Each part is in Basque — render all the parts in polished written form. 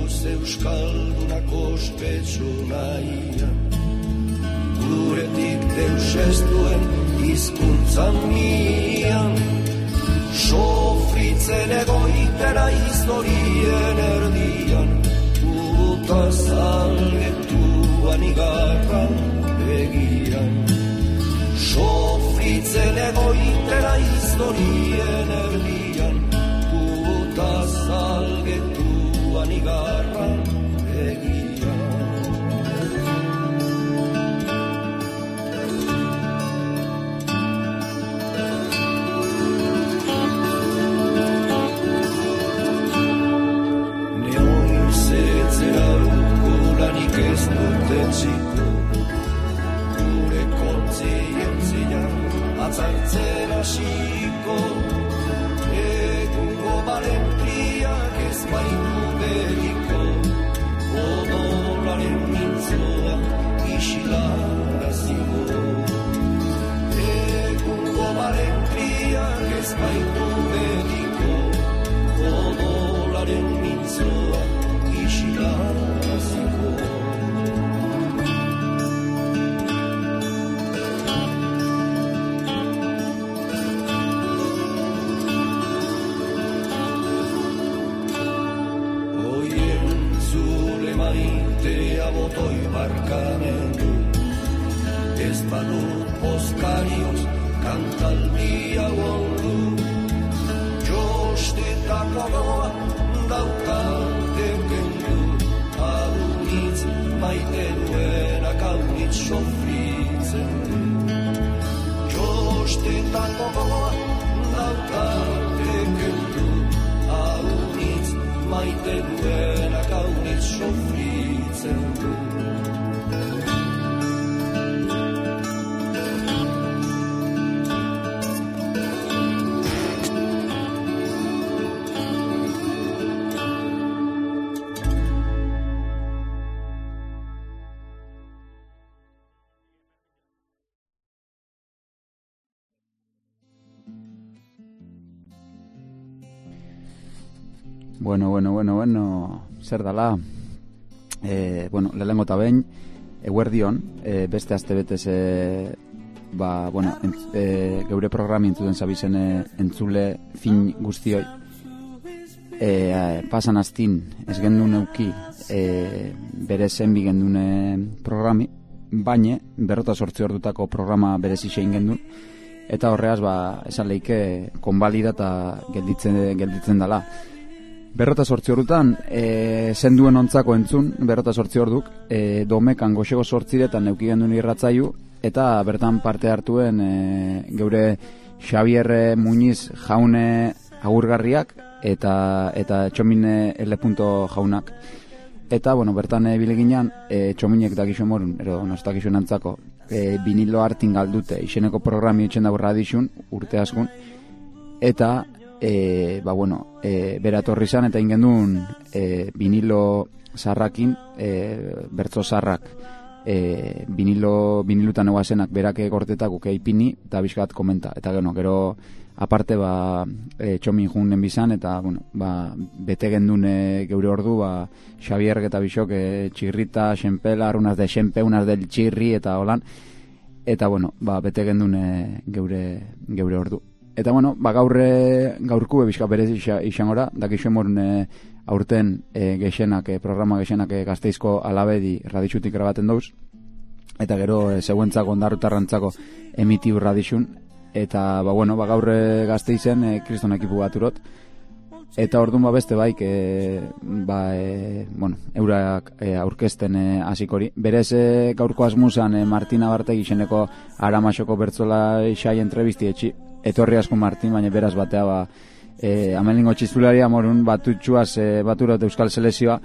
gaituz euskaldunak ospetsu nahian. Guretik deus ez duen hizkuntzan mian, sofritzen egoitera historien erdian, puta salgetuan igarran begiran. Sofritzen egoitera historien erdian, puta salgetuan igarran begiran. Ez duten ziko, gure kontzientzia atzartzen hasiko, egungo balentriak ez baitu beriko, odolaren mintzoa isilaraziko. Egungo balentriak ez baitu beriko, odolaren mintzoa isilaraziko. Botoi barkamendu, ez badut poskarioz kantaldia ondu, jostetako goa dautate kendu, adunitz maite duenak aunitz sofritzen du. Jostetako goa dautate kendu, adunitz maite duenak aunitz sofritzen du. Bueno, zer dala? Lehenengo eta behin, eguerdion, beste astebetez, geure programi entzuten zabizen entzule fin guztioi. Pasan astin, ez gendun euki, bere zenbi gendun programi, baina 48 ordutako programa berezi zein gendun, eta horreaz, esan lehike, konbalida eta gelditzen dala. 48 ordutan, zenduen ontzako entzun, 48 orduk, domekan goxego 8 neuki gendun irratzaiu, eta bertan parte hartuen geure Xabier Muñiz jaune agurgarriak, eta Txomine L. jaunak. Eta, bertan bileginan, Txominek dakixo morun, ero nostakixo nantzako, vinilo hartin galdute, izeneko programi etxen dago radixun, urte askun, eta, bera torri zan, eta ingendun vinilo zarrakin, bertzo zarrak, vinilutan eguazenak berake gortetak uke ipini, eta bizkat komenta. Eta gero, aparte, Txomin junen bizan, eta, bete gendun geure ordu, Xabier eta Bixok, txirrita, xenpelar, unas de xenpe, unas del txirri, eta holan, eta, bete gendun geure ordu. Eta, gaurku bizka berez izangora, dakixo morun aurten programa gexenak Gazteizko Alabedi radixutik grabaten dauz, eta gero zeuentzako ondarrutarrantzako emitiu radixun, eta, gaur Gazteizen kriston ekipu bat urot, eta orduan beste baik, eurak aurkezten hasikori. Berez gaurko asmuzan Martina Bartegi izeneko Aramasoko bertzola xai entrevisti etxi, etorri asko Martin, baina beraz batea amelingo txizularia morun batutxuaz baturot Euskal Selezioa,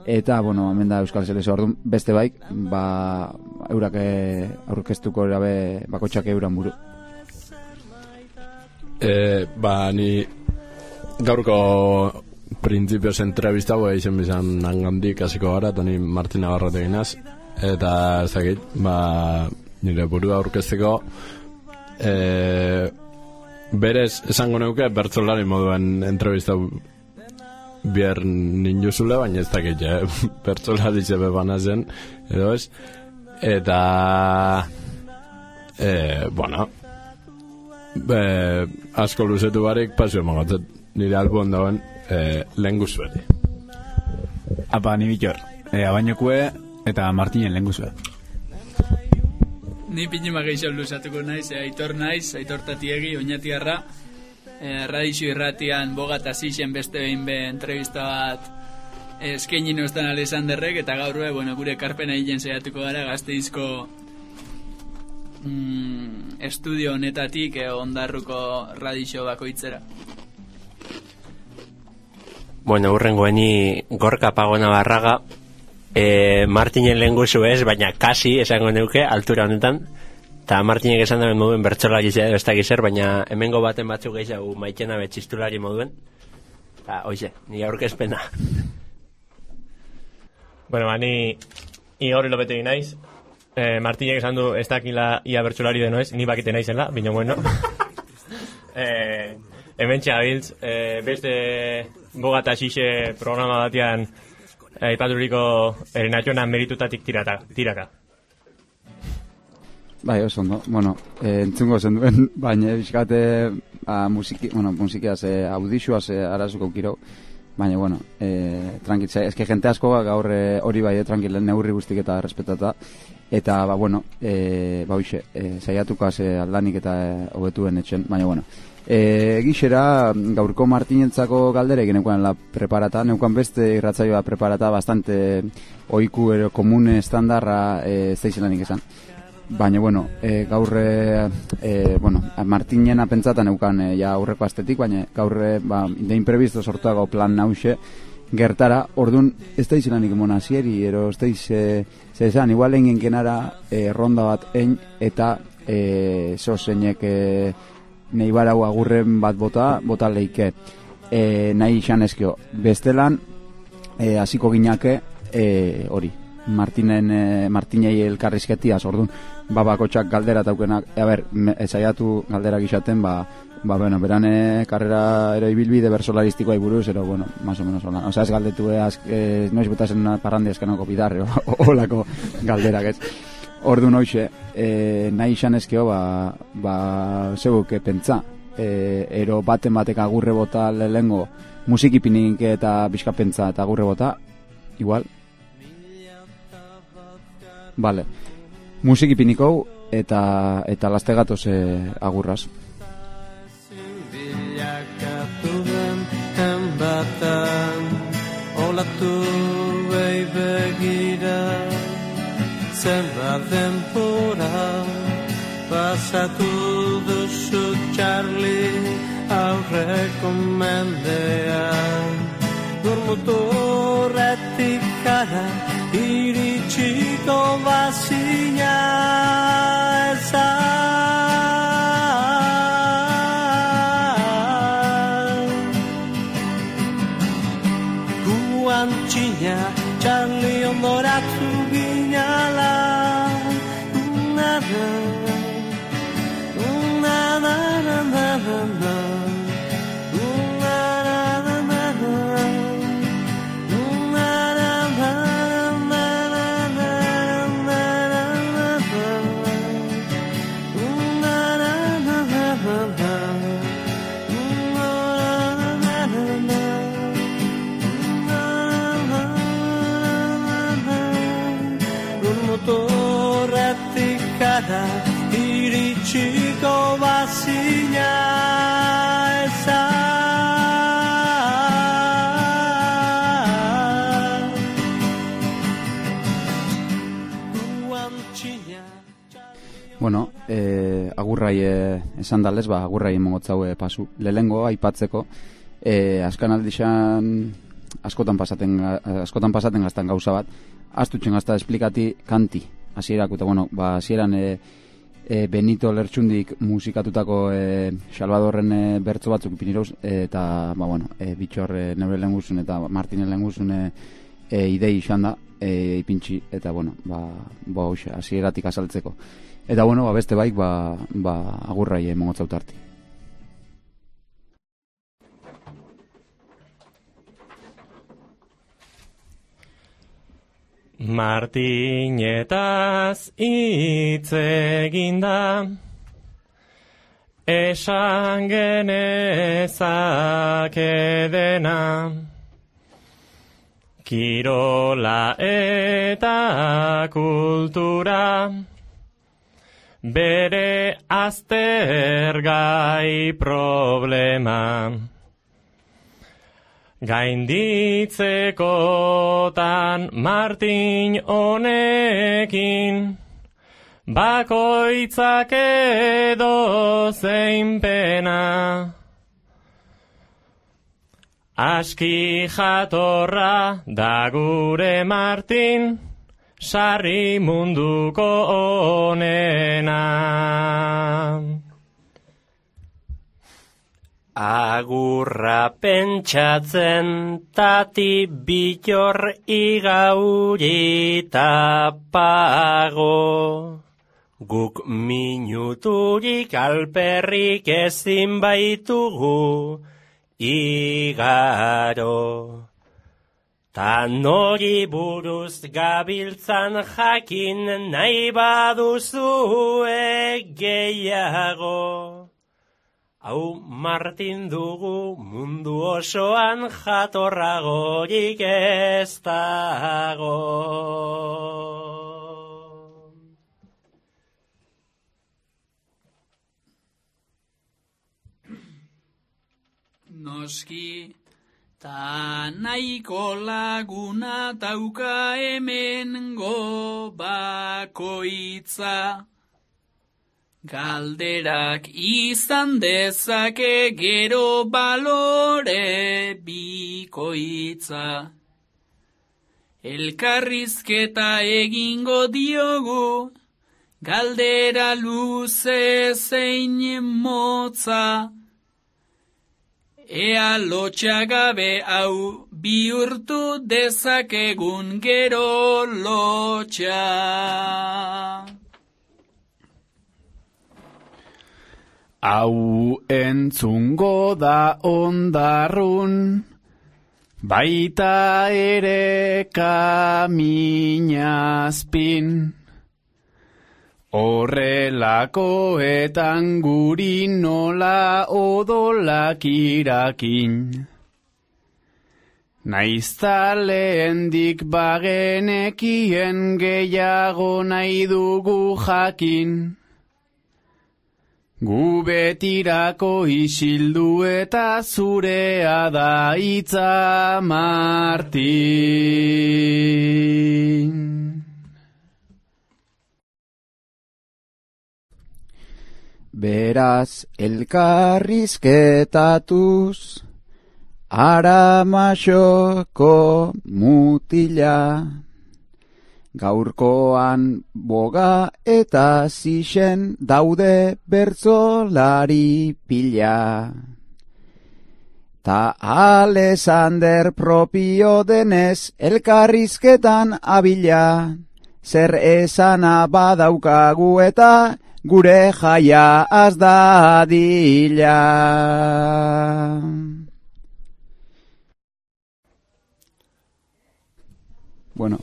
eta, hemen da Euskal Selezioa orduan, beste baik, eurak aurkeztuko erabe bakotxak euran buru. Ni gaurko printzipioz entrevista izen bizan nangandik hasiko gara, eta ni Martina Barrote ginaz, eta ezakit, nire burua aurkezteko, berez esango neuke bertzolari moduen entrevista bier ninjuzule, baina ez dakit, bertsolari zebe bana zen, edo ez, eta, bueno, asko luzetu barik, pasio emangotzet, nire albuen dauen, lehen guzueli. Apa, ni Bitor, abainokue eta Martinen lehen guzue. Ni pinima gehiago luzatuko naiz, Aitor naiz, Aitor Tatiegi, Oñatiarra, Radixo irratian bogat azixen beste behin be entrevista bat eskaini nostan Alexanderrek, eta gaur bueno, gure ekarpena egin saiatuko gara Gasteizko estudio honetatik Ondarruko Radixo bakoitzera. Bueno, urrengoeni Gorka Pagona Barraga, Martinen lehen guzu ez, baina kasi esango neuke, altura honetan, eta Martinek esan duen moduen bertsolari ez da gizer, baina hemengo baten batzuk gehiago maitena betxistulari moduen, eta oize, ni aurkezpena. Bueno, ni Igor Lopetegi naiz, Martinek esan du ez dakila ia bertsolari deno ez, ni bakite naizela, bino bueno. Hemen txabiltz, beste bogat asixe programa batean aipaturiko Erenatxonan meritutatik tiraka. Bai, oso ondo. Bueno, entzungo zen duen, baina bizkate musikiaz, audixuaz arazuko kiro, baina, bueno, tranquil, eske jente asko gaur hori bai, tranquil, neurri guztik eta respetata, eta, bueno, hoxe, saiatukaz aldanik eta hobetuen etxen, baina, bueno, gixera gaurko Martinentzako galdere neukan la preparata, neukan beste irratzaioa preparata bastante oiku ero komune estandarra ez da izelanik esan, baina bueno, gaur bueno, Martinena pentsatan neukan ja aurreko astetik, baina gaur de imprevisto sortuago plan nause gertara, orduan ez da izelanik emona zieri, ero ez da esan, igual engen kenara ronda bat ein eta zozeinek nahi barau agurren bat bota leike nahi izan ezkio bestelan hasiko ginake hori Martinei elkarrizketiaz, orduan babakotxak galdera taukenak, saiatu galderak izaten, bueno, berane karrera ero ibilbide bersolaristikoa buruz, ero, bueno, más o menos hola. Osea, ez galdetu noiz botasen parrandi eskanoko bidarre, olako galderak ez. Orduan hoxe, nahi izan ezkio, zeuk pentsa, ero baten batek agurre bota lehengo musikipinik eta bizkapentsa eta agurre bota, igual. Vale, musikipinikau eta laste gatoz agurraz. Olatu begira zenbat denbora pasatu duzu Charlie aurreko mendean Gurmuturretik gara iritsiko bazina Guantxina Charlie ondoratu ginala iritsiko bazina Bueno, agurrai esan dalez, agurrai emongotzau pasu. Lehengo aipatzeko, askan aldixan askotan pasaten gaztan gauza bat, astutzen gazta esplikati kanti. Hasierak, eta bueno, hasieran Benito Lertxundik musikatutako Salvadorren bertso batzuk ipiniroz, eta, bueno, Bitxor neure lehenguzun eta Martinen lehenguzun idei izan da, ipintxi, eta, bueno, hasieratik azaltzeko. Eta, bueno, beste baik, agurrai emongotzautarti. Martinetaz hitz eginda, esan genezake dena, kirola eta kultura, bere aztergai problema. Gainditzekotan Martin honekin, bakoitzak edo zein pena. Aski jatorra da gure Martin, sarri munduko onena. Agurra pentsatzen tati bitor igauri tapago. Guk minuturik alperrik ezin baitugu igaro. Ta nori buruz gabiltzan jakin nahi baduzue gehiago. Hau Martin dugu mundu osoan jatorragorik ez dago. Noski, ta nahiko laguna dauka hemengo bakoitza. Galderak izan dezake gero balore bikoitza. Elkarrizketa egingo diogu, galdera luze zein motza. Ea lotxagabe hau bihurtu dezakegun gero lotxa. Hau entzungo da ondarrun, baita ere kaminazpin. Horrelakoetan guri nola odolak irakin. Naizta lehendik bagenekien gehiago nahi dugu jakin. Gu betirako isildu eta zurea da hitza Martin. Beraz elkarrizketatuz, Aramaxoko mutila, gaurkoan boga eta zixen daude bertzolari pila. Ta Alexander propio denez elkarrizketan abila, zer esana badaukagu eta gure jaia az dadila. Bueno.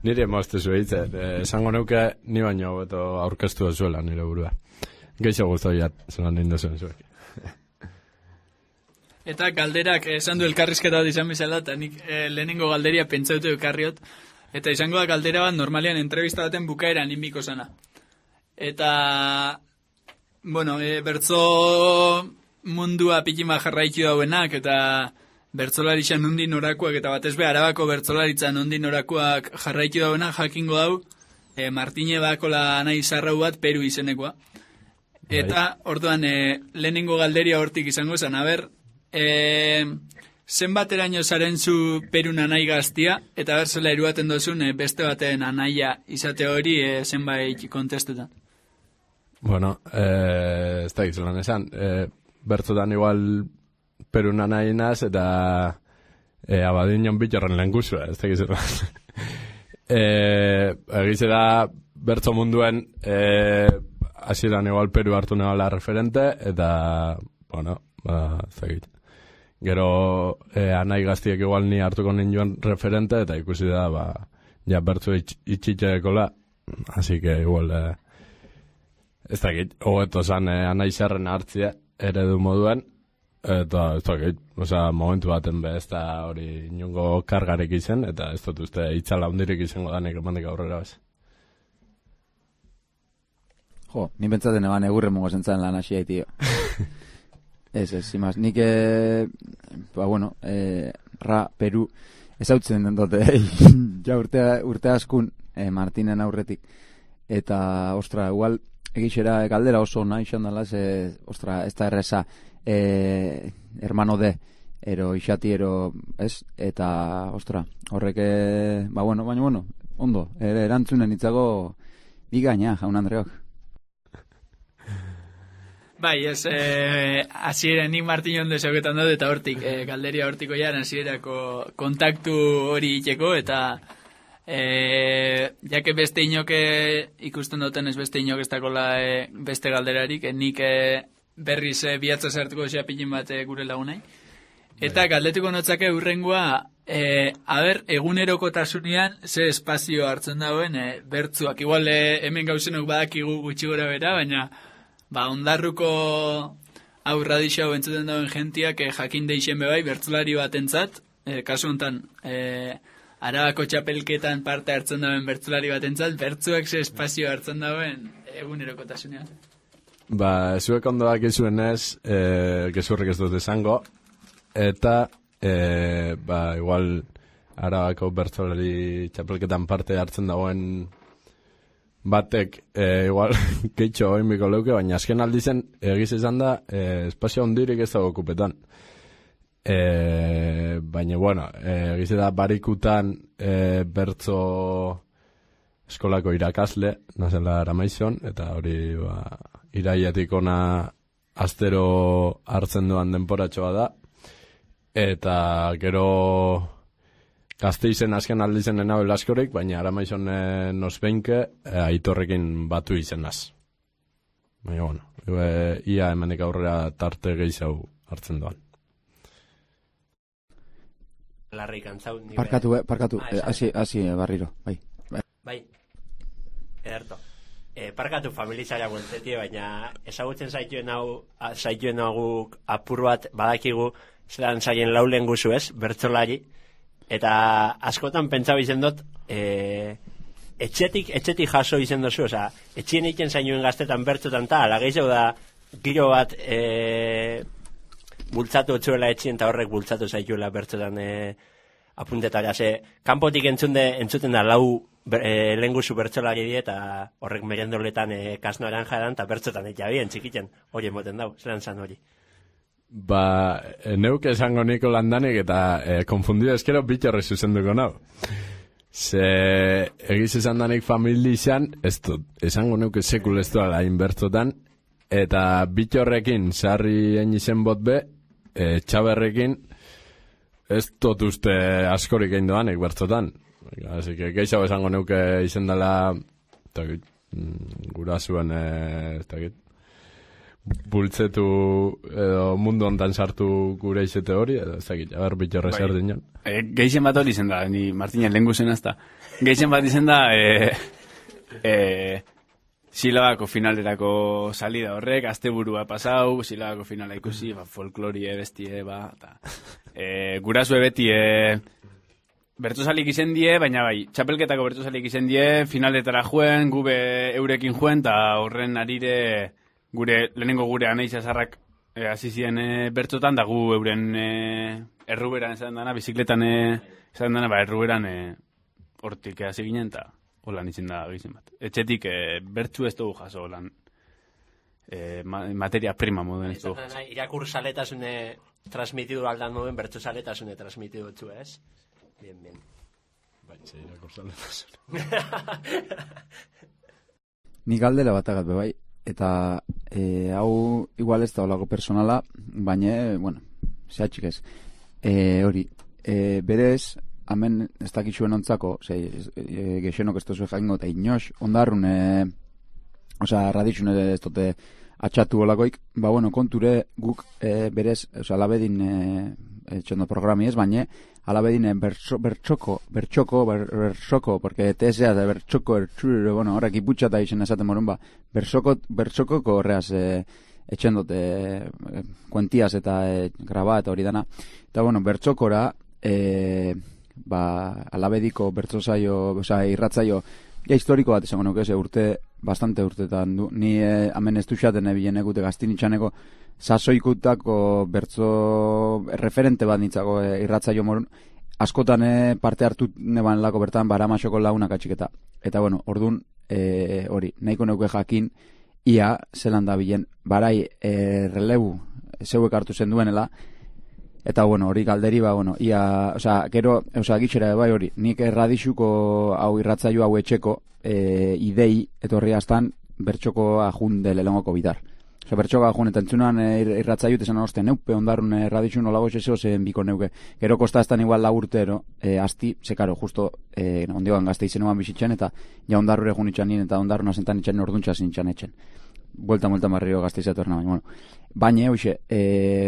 Nire mozte zueitzen, esango neuke ni baino beto aurkeztu zuela nire burua. Geixo guztoiat, zelan nindu zuen zuek. Eta galderak esan du elkarrizketa bat izan bezala, eta nik lehenengo galderia pentsautu ekarriot, eta izango da galdera bat normalean entrevista baten bukaeran inbiko zana. Eta, bueno, bertzo mundua pikima jarraitu dauenak, eta bertzolaritza nondin orakoak, eta batez be Arabako bertzolaritza nondin orakoak jarraitu dauenak jakingo dau, Martine bakola nahi zarrau bat Peru izenekoa. Eta, orduan, lehenengo galderia hortik izango zen, aber, zenbateraino zaren zu Perun anai gaztia, eta berzela eruaten dozun beste baten anaia izate hori zenbait kontestutan. Bueno, ez da gizulan esan, bertzotan igual Perun anai naz, eta abadinon bitorren lehen guzua, ez da gizulan. Egize da, bertzo munduen hasieran igual Peru hartu nebala referente, eta, bueno, ez da gizulan. Gero anai gaztiek igual ni hartuko ninduen referente, eta ikusi da, ja bertzu itxitxekola, así que igual, ez dakit, hogeto zan anai zerren hartzia, eredu moduen, eta ez dakit, momentu baten be, ez da hori inongo kargarek izen, eta ez dut uste itzala hundirik izango danik emandik aurrera bez. Jo, ni pentsaten eban egurre mongo zentzaren lan hasi haitio. Ez, imaz, nik, Peru, ezautzen den dute, ja urte askun, Martinen aurretik, eta, ostra, igual, egixera galdera oso nahi izan dela, ostra, ez da erreza, hermano de, ero isati, ero, ez, eta, ostra, horrek, baina, ondo, erantzunen itzago, bigaina, jaun Andreok. Bai, ez, hasiera nik Martin ondo esauketan dut, eta hortik, galderia hortiko jaren hasierako kontaktu hori iteko, eta jake beste inoke ikusten duten ez beste inok ez dakola beste galderarik, nik berriz bihatza sartuko xapilin bat gure lagunai. Eta galdetuko notzake urrengoa, egunerokotasunean ze espazio hartzen dauen bertzuak. Igual hemen gauzenok badakigu gutxi gora bera, baina ondarruko aurra dixau entzuten dauen gentiak jakin deixen bebai bertzulari bat entzat, kasu honetan Arabako txapelketan parte hartzen dauen bertzulari bat entzat, bertzuak ze espazio hartzen dauen egunerokotasunean. Zuek ondoak izuen ez, gezurrik ez dut esango, eta igual Arabako bertzulari txapelketan parte hartzen dauen batek igual keitxo oinbiko leuke, baina azken aldizen egiz izan da espazio ondirik ez dago okupetan. Baina, egiz da barikutan bertzo eskolako irakasle, nazela Aramaizon, eta hori iraiatik ona astero hartzen duan denporatxoa da, eta gero Gazteizen azken aldizen enabel askorik, baina Aramaizon nosbeinke aitorrekin batu izenaz. Baina, ia hemenik aurrera tarte gehiago hartzen doan. Larrik antzau. Parkatu, hasi barriro, bai. Bai, ederto. Parkatu familizara guentetie, baina ezagutzen zaituen guk apur bat badakigu zelan zaien laulen guzu ez, bertzolari. Eta askotan pentsa izen dut, etxetik jaso izen dozu, oza, etxien egiten zainuen gaztetan bertzotan ta, ala gehiago da, giro bat bultzatu otzuela etxien, eta horrek bultzatu zaituela bertzotan apuntetara, kanpotik entzuten da lau lehenguzu bertzolari die, eta horrek merendoletan kasno aranja edan, eta bertzotan eta bien, txikiten, hori emoten dau, zelan zan hori. Neuk esango niko landanik eta konfundido eskero bitxorre zuzenduko nau. Ze egiz esan danik familizan, ez dut, esango neuk sekul ez duela inbertzotan, eta bitxorrekin sarri izen bot be, txaberrekin ez dut uste askorik egin doanik bertzotan. Así que gehiago esango neuke izen dela, gura zuen, ez dakit, bultzetu edo mundu ontan sartu gure izete hori, edo ez dakit, agar bitxorre zer dinan. Geixen bat hori izen da, ni Martinen lehen guzen azta. Geixen bat izen da, silabako finalerako salida horrek, asteburua pasau, silabako finala ikusi, folklorie bestie, gurasue beti, bertzozalik izen die, baina bai, txapelketako bertzozalik izen die, finaletara juen, gube eurekin juen, eta horren arire lehenengo gure anaiza zarrak azizien bertzotan, da gu euren erruberan esan dana, bizikletan esan dana, erruberan hortik hasi ginen, eta holan izin da gizien bat. Etxetik bertzu ez dugu jaso holan materia prima moduen ez dugu jaso. Irakur saletasune transmitidu aldan moduen, bertzu saletasune transmitidu etzu, ez? Bien. Baitze, irakur saletasune. Ni galdera bat agat bebai. Eta hau igual ez da olako personala, baina, zehatxik ez. Hori, berez, hemen ez dakitxuen ontzako, gexenok ez tozu jaingo, eta inoz, ondarrun, raditxun ez dute atxatu olakoik, konture guk berez, alabedin etxondo programi ez, baina alabedin bertxoko, porque tesea da bertxoko, horrek iputxata izen esaten morun, bertxokoko horreaz etxendote kuentiaz eta graba eta hori dana. Eta, bertxokora, alabediko bertzozaio, irratzaio, historiko bat esango nuke, bastante urtetan du. Ni hemen ez duxaten ebilen egute gaztinitxaneko sasoikutako bertzo referente bat nintzako irratzaio morun. Askotan parte hartu neban lako bertan baramasoko launak atxiketa. Eta orduan hori, nahiko neuke jakin ia zelan da bilen barai relebu zeuek hartu zen duenela. Eta hori galderi ia, gero, gitxera bai hori, nik erradixuko hau irratzaio hau etxeko idei etorri astan bertxoko ajunde lelengoko bidar. Bertxoko ajun, eta entzunan irratzaio esan oste neupe ondarun erradixu nolago eseo zen biko neuke. Gero kosta estan igual laburtero, asti, zekaro, justo ondioan gazte izenuan bizitzen, eta ja ondarrure jun itxan nien, eta ondarruna zentan itxan orduntza zintxan etxen. Buelta marrio gazte izatorna, baina, hoxe,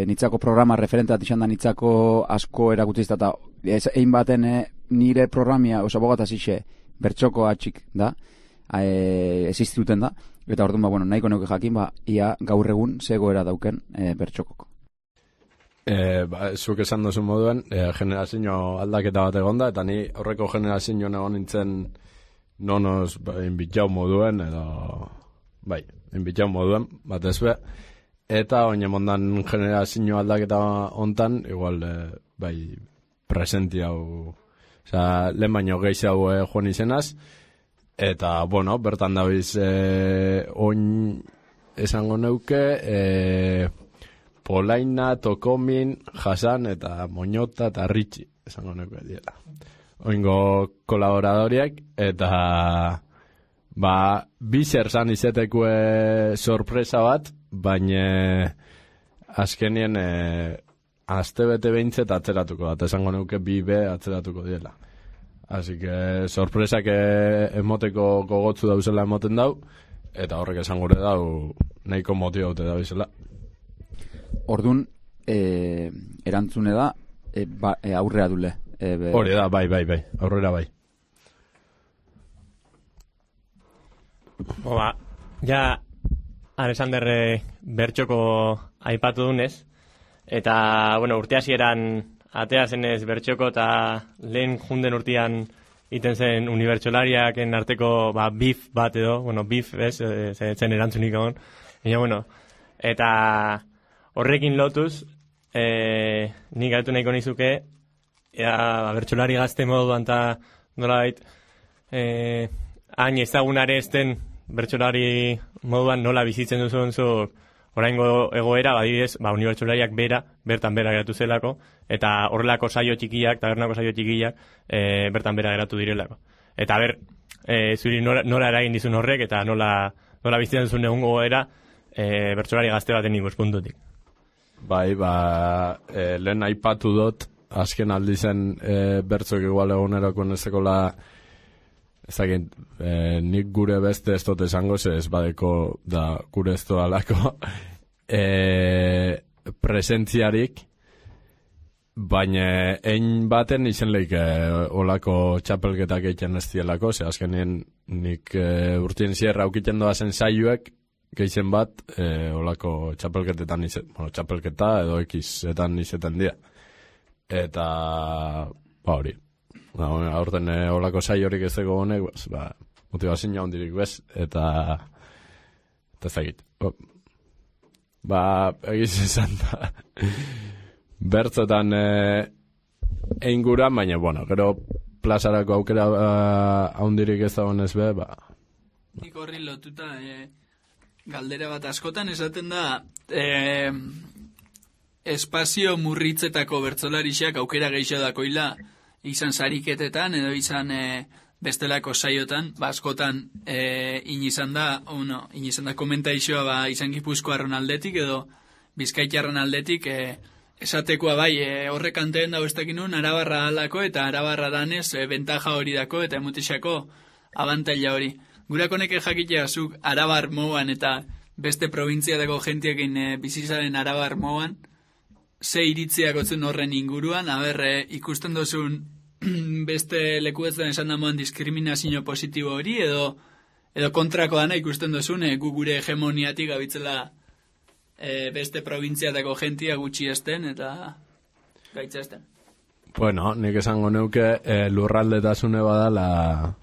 nitzako programa referente bat izan da nitzako asko erakutzizta, eta egin baten nire programia, bogataz ixe, bertxoko atxik da, existuten da, eta orduan, nahiko neuke jakin, ia gaur egun zegoera dauken bertxokoko. Zuk esan duzu moduen, generazio aldaketa bat egonda, eta ni aurreko generazio egon nintzen nonos inbitxau moduen, edo, inbitxau moduen, bat ezbe, eta oine mondan generazio aldaketa ontan, igual, presenti hau, lehen baino gehi hau joan izenaz, eta, bertan dabiz, oin esango neuke, Polaina, Tokomin, Hasan eta Moñota eta Ritxi, esango neuke diela. Oingo kolaboradoriak, eta bizer zan izetekue sorpresa bat, baina azkenien astebete behintzet atzeratuko bat, esango neuke 2B atzeratuko diela. Así que sorpresak emoteko gogotzu dauzela emoten dau, eta horrek esan gure dau nahiko motibaute da bizela. Orduan, erantzune da, aurrea dule. Hori da, bai, aurrera bai. Ja, Alexander bertxoko aipatu dunez, eta, urte hasieran atea zenez bertxoko eta lehen junden urtean iten zen unibertsolariaken arteko bif bat edo, bif, zen erantzunik egon. Eta horrekin lotuz, nik gaitu nahiko nizuke, bertsolari gazte moduan eta nolabait, hain ezagunare ezten bertsolari moduan nola bizitzen duzun zu oraingo egoera, badibidez, unibertsolariak bertan bera geratu zelako, eta horrelako saio txikiak, tabernako saio txikiak, bertan bera geratu direlako. Eta zuri nola eragin dizun horrek, eta nola bizitzen duzun egungo goera, bertsolari gazte baten ikuspuntutik. Lehen aipatu dut, azken aldi zen bertzok igual egunerako nezekola, ezagin, nik gure beste ez dut esango, ez badeko da gure ez doalako presentziarik, baina ein baten izen leik olako txapelketak egiten ez dielako, ze azkenien nik urtien zierra aukiten doazen saioek, geizen bat, olako txapelketetan txapelketa edo ekizetan izeten dira. Eta, hori. Aurten olako saiorik ez dago honek, motivazioa hondirik bez, eta ezagit. Egiz izan da. Bertzotan einguran, baina, gero plazarako aukera hondirik ez dago honez be, Nik horri lotuta, galdera bat askotan esaten da, espazio murritzetako bertsolarixak aukera gehiago dakoila, izan sariketetan edo izan bestelako saiotan, askotan inizan da komentaixoa izan Gipuzkoarron aldetik edo Bizkaitarron aldetik esatekoa horrek anteen dago ez dakinun Arabarra alako eta Arabarra danez bentaja hori dako eta emutixako abantaila hori. Gurakoneke jakitea zuk Arabar moan eta beste provintziatako jentiekin bizizaren Arabar moan, ze iritziak otzun horren inguruan, ikusten dozun beste lekuetzen esan damoan diskriminazio positibo hori, edo kontrako dana ikusten dozun, gu gure hegemoniatik gabitzela beste provintziatako jentia gutxi esten eta gaitza esten. Bueno, nik esango neuke lurraldetasune badala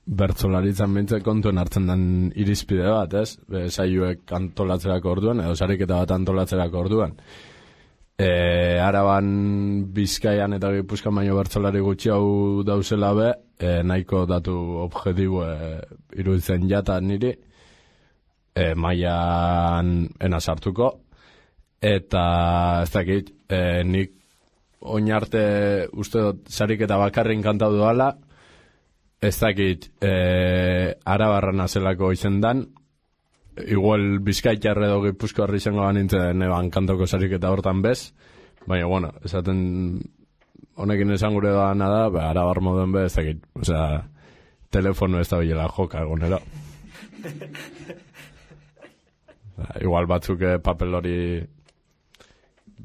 bertsolaritzan bintzek kontuen hartzen den irizpide bat, ez? Saioek antolatzerako orduan, edo sariketa bat antolatzerako orduan. Araban, Bizkaian eta Gipuzkoan baino bertsolari gutxi hau dauzela be, nahiko datu objektibo iruditzen jata niri, mailan ena sartuko, eta ez dakit, nik oin arte uste dut sariketa bakarrin kantau doala, ez dakit Arabarra nazelako izendan, igual Bizkaitarra edo Gipuzkoarra izango banintzen eban kantoko sariketa hortan bez, baina, bueno, esaten honekin esan gure doana da, Arabar moduen bez, ez dakit, osea, telefono ez da bilela joka egonero. Igual batzuk papel hori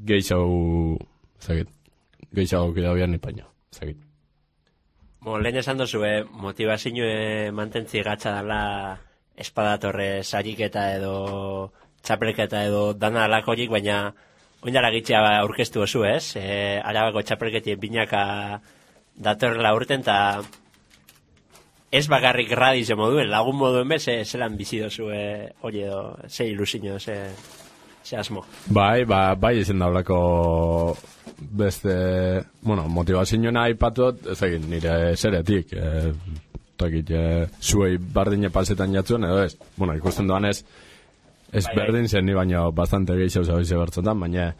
geixau, ez dakit, geixau kida bian ipaino, ez dakit. Lehen esan dozu, motivazio mantentzi gatza dela espadatorre sariketa edo txapelketa edo dana alakorik, baina oindara gitxea aurkeztu oso, ez? Arabako txapelketien binaka datorrela urten, eta ez bakarrik radizio moduen, lagun moduen bez, zelan bizi dozu hori edo, ze ilusiño, ze asmo. Bai izan daulako beste, bueno, motivazio nahi patot, ez egin, nire zeretik, zuei bardine pasetan jatzuen, edo ez, bueno, ikusten doan ez berdin zen, ni baino bastante gehiago zabize bertzotan, baina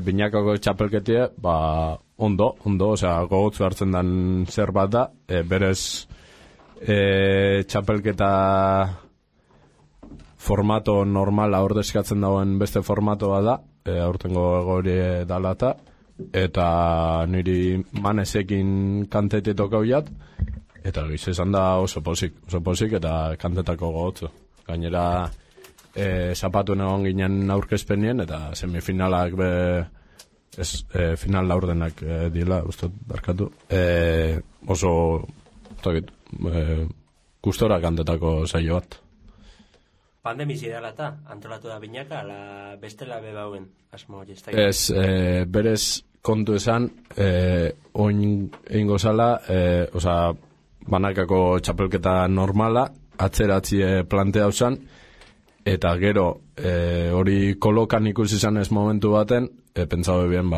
binakako txapelketie, ondo, osea, gogotzu hartzen dan zer bat da, berez txapelketa formato normala ordezkatzen dauen beste formatoa da, aurtengo egori dalata, eta niri manezekin kantete tokau jat, eta giz esan da oso posik eta kantetako gogotzu. Gainera, zapatuen egon ginen aurkezpenien, eta semifinalak final laurdenak dila, ustot, barkatu. Oso, gustora kantetako saio bat. Pandemizi dela eta antolatu da binaka, ala bestela bebauen asmo hori ez da? Ez, berez kontu esan, oin egin gozala, osea, banakako txapelketa normala, atzeratzie plantea usan, eta gero hori kolokan ikusi izan ez momentu baten, pentsau ebien,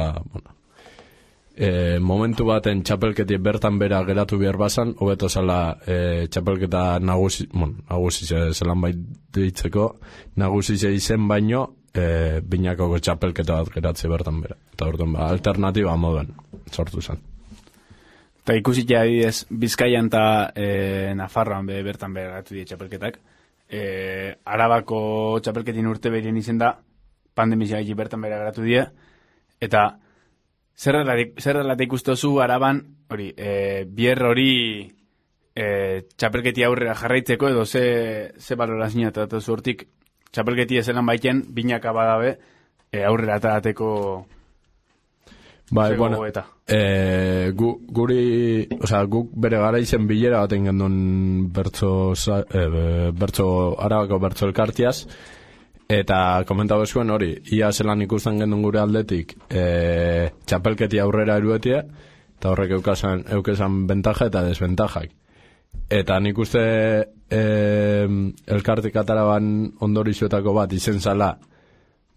momentu baten txapelketi bertan bera geratu behar bazan, hobeto zala txapelketa nagusi zelan bai ditzeko, nagusi izen baino, binakoko txapelketa bat geratze bertan bera. Eta orduan, alternatiba moduen sortu zen. Eta ikusitea adibidez, Bizkaian eta Nafarroan bertan bera geratu die txapelketak. Arabako txapelketin urte berien izen da, pandemizia bertan bera geratu die, eta zer dela ikustozu Araban, hori, bier hori txapelketi aurrera jarraitzeko, edo ze balorazioa eta datu hortik txapelketi ezelan baiten, binaka badabe aurrera atarateko bueno, guk bere gara izen bilera baten gendun Arabako bertso elkartiaz, eta komentau ezuen hori, ia zelan ikusten gendun gure aldetik txapelketi aurrera eruetia, eta horrek eukesan bentaja eta desbentajak. Eta nik uste elkartik ataraban ondorizuetako bat izen zala,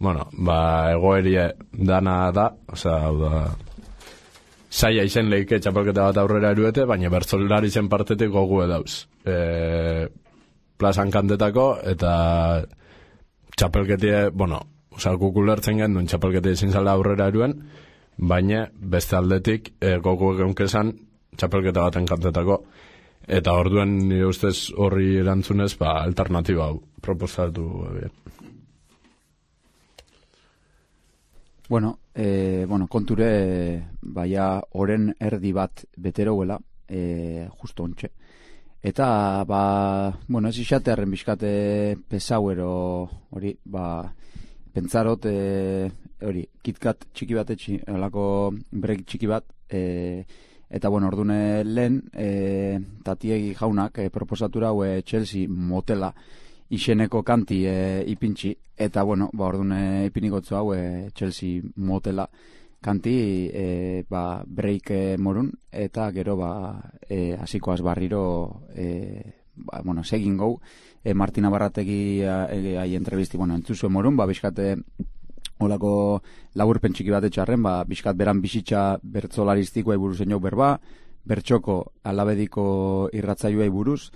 egoerie dana da, hau da, saia izen lehike txapelketa bat aurrera eruete, baina bertzolari zen partetik gogu edauz. Plazan kantetako, eta txapelketie, guk ulertzen gendun txapelketie izin zala aurrera eruen, baina beste aldetik gogu egonkezan txapelketa baten kantetako. Eta orduen nire ustez horri erantzunez, alternatiba hau proposatu. Konture, baia oren erdi bat beteroguela, justo ontxe. Eta, bueno, ez isatearen bizkate pesauero hori, pentsarot, hori, KitKat txiki bat alako break txiki bat, eta, bueno, ordune lehen, Tatiegi jaunak proposatura Chelsea motela izeneko kanti ipintxi, eta, bueno, ordune ipinigotzu hau Chelsea motela kanti break morun, eta gero hasikoaz barriro bueno, segin gau Martina Barrategi ai entrevisti, bueno, entzuzue morun, bizkate olako laburpen txiki bat etxarren, bizkat beran bizitza bertzolariztikoa buruz eno berba, bertxoko alabediko irratzaioa buruz,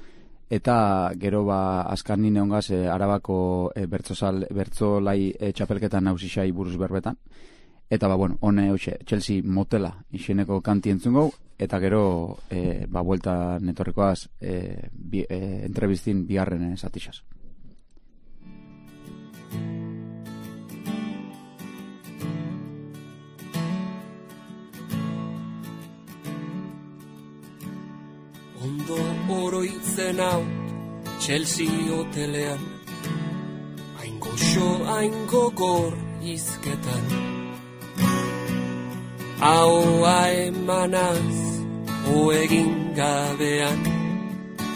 eta gero azkan nine hongaz Arabako bertzolai txapelketan nausisai buruz berbetan. Eta, bueno, hone, Chelsea motela izeneko kanti entzun gau, eta gero, buelta netorrekoaz entrevistin bigarren zatixaz. Ondo oroitzen hau Chelsea hotelean, hain goxo, hain gogor izketan, ahoa emanaz oegin gabean,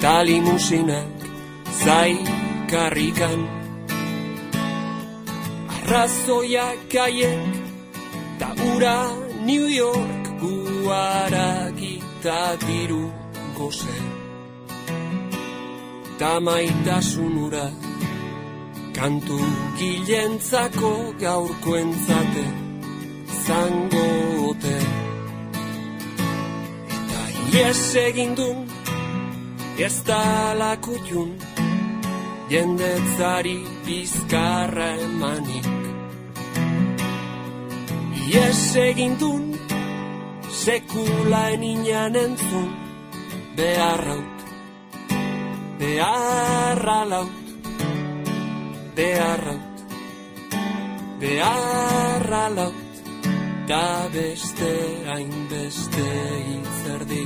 talimusinak zaikarrikan, arrazoiak haiek ta ura New York guaragita diru goze, ta maitasun ura kantu gilentzako gaurko entzate zango ote, eta ies egindun ez da lakutun jendetzari bizkarra emanik, ies egindun sekula eninan entzun beharraut, beharra laut, beharraut, beharra laut, da beste hainbeste hitzerdi.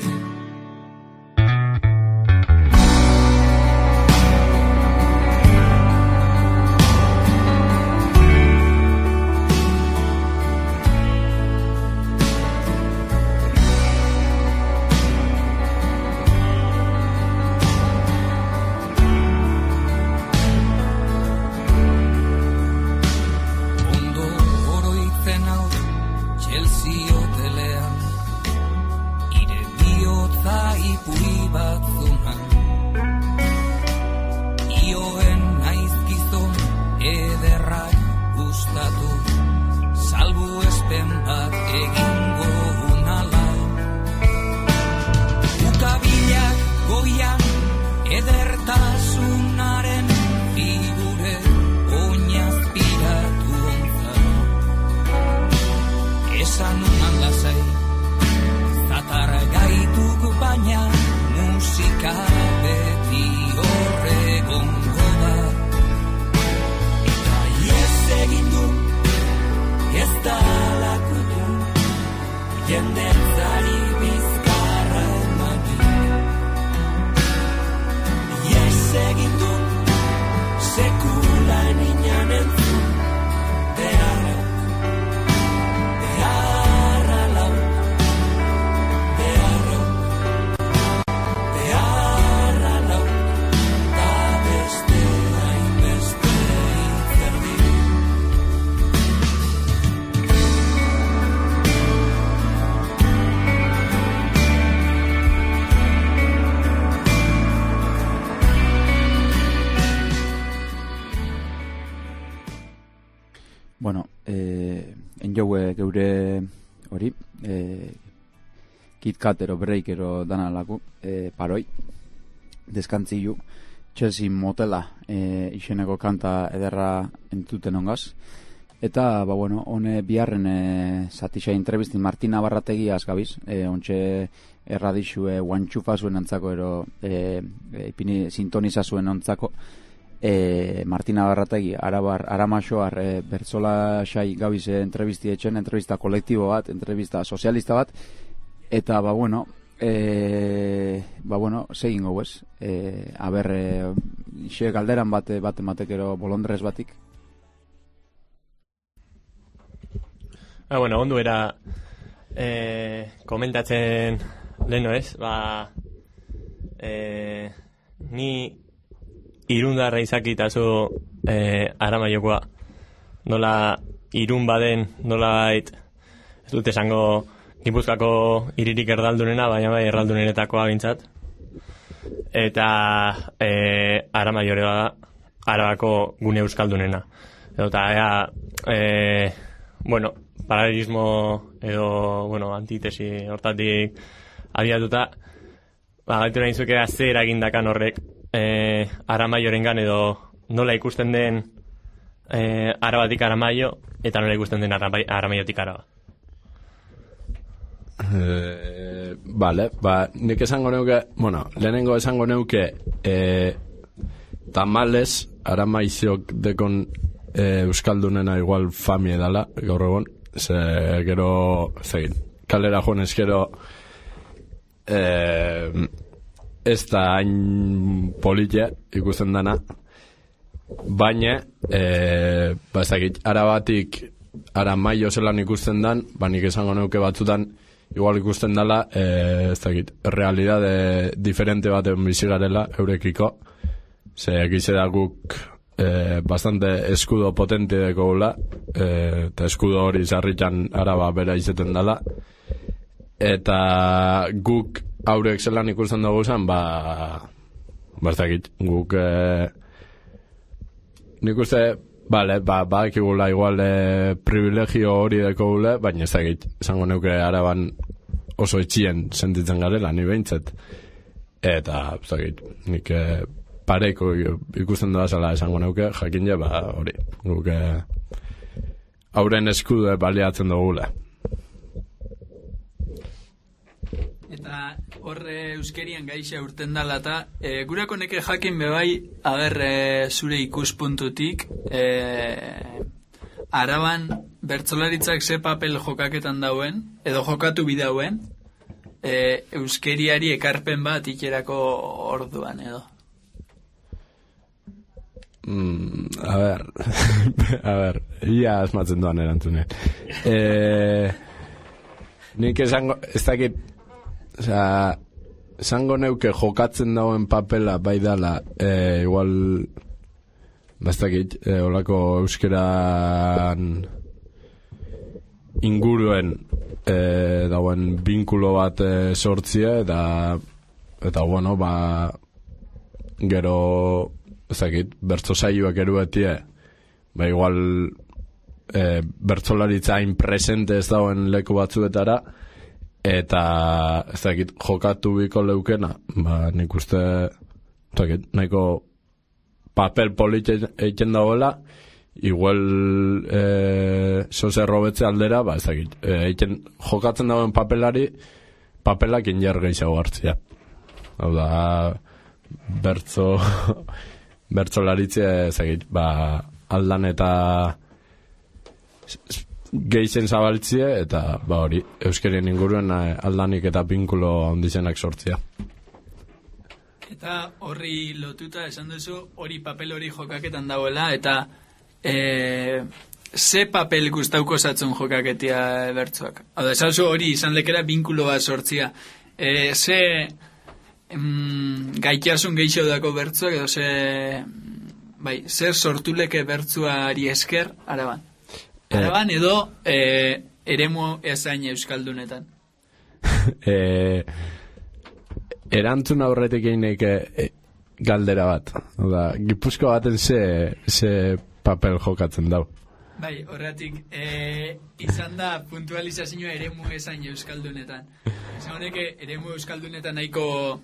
Bueno, enjoue geure hori, KitKat ero break ero dana laku, paroi, deskantzilu, Chelsea motela izeneko kanta ederra entuten ongaz. Eta, bueno, hone biharren zatisa entrevistin Martina Barrategiaz gabiz, ontxe erradixue guantxufa zuen antzako ero ipini sintoniza zuen antzako, Martina Barrategi Aramaxoar bertzola xai gabiz entrevisti etxen, entrevista kolektibo bat, entrevista sozialista bat, eta, bueno, segin gau ez. Aber, xe galderan bat ematekero bolondrez batik. Ondo era komentatzen leheno ez, ni irundarra izakitazu Aramaiokoa. Nola irun baden, nola ez dut esango Gipuzkoako hiririk erdaldunena, baina bai erraldunenetakoa bintzat. Eta Aramaiore bada Arabako gune euskaldunena. Eta paralelismo edo, antitesi hortatik abiatuta, gaitu nahi zuke ze eragindakan horrek Aramaiorengan edo nola ikusten den Arabatik Aramaio eta nola ikusten den Aramaiotik Araba. Nik esango neuke, lehenengo esango neuke tamales Aramaiziok dekon euskaldunena igual famie dala gaur egon, ze gero kalera joanez gero ez da hain politia ikusten dana, baina Arabatik Aramaio zelan ikusten dan, nik esango neuke batzutan igual ikusten dala realidade diferente baten bizigarela eurekiko, ze egize da guk bastante eskudo potente deko gula, eta eskudo hori zarritan Araba bera izeten dala, eta guk haurek zelan ikusten dugu zen, guk nik uste bakigula igual privilegio hori deko gule, baina ez dakit, esango neuke Araban oso etxien sentitzen garela, ni behintzet. Eta, ez dakit, nik pareiko ikusten doa zela esango neuke, jakin je, hori, guk hauren eskudu baliatzen dugula. Eta horre euskerian gaixa urten dala eta gurako neke jakin bebai zure ikuspuntutik Araban bertsolaritzak ze papel jokaketan dauen edo jokatu bidauen euskeriari ekarpen bat ikerako orduan edo. Ia asmatzen doan erantzunen. Nik esango, ez dakit, esango neuke jokatzen dauen papela bai dala, igual, ez dakit, olako euskeran inguruen dauen binkulo bat sortzia, eta bueno, gero, ez dakit, bertso saioak eruetie, igual bertsolaritza hain presente ez dauen leku batzuetara, eta ez dakit, jokatu biko leukena, nik uste, ez dakit, nahiko papel polit egiten dagoela, igual zoze robetze aldera, ez dakit, jokatzen dagoen papelak inger gehiago hartzia. Hau da, bertsolaritze ez dakit, aldan eta geizen zabaltzie, eta hori, euskerien inguruen aldanik eta pinkulo handizenak sortzia. Eta horri lotuta esan duzu, hori papel hori jokaketan dauela, eta ze papel gustauko zatzun jokaketia bertzuak? Hau da, esan zu hori izan lekera binkulo bat sortzia. Ze gaitasun geixo dako bertzuak, edo zer sortuleke bertzuari esker Araban? Araban edo eremu ezain euskaldunetan? Erantzun aurretik einek galdera bat. Oda, Gipuzko baten ze papel jokatzen dau. Bai, horretik, izan da puntualizazioa eremu ezain euskaldunetan. Esan honeke, eremu euskaldunetan nahiko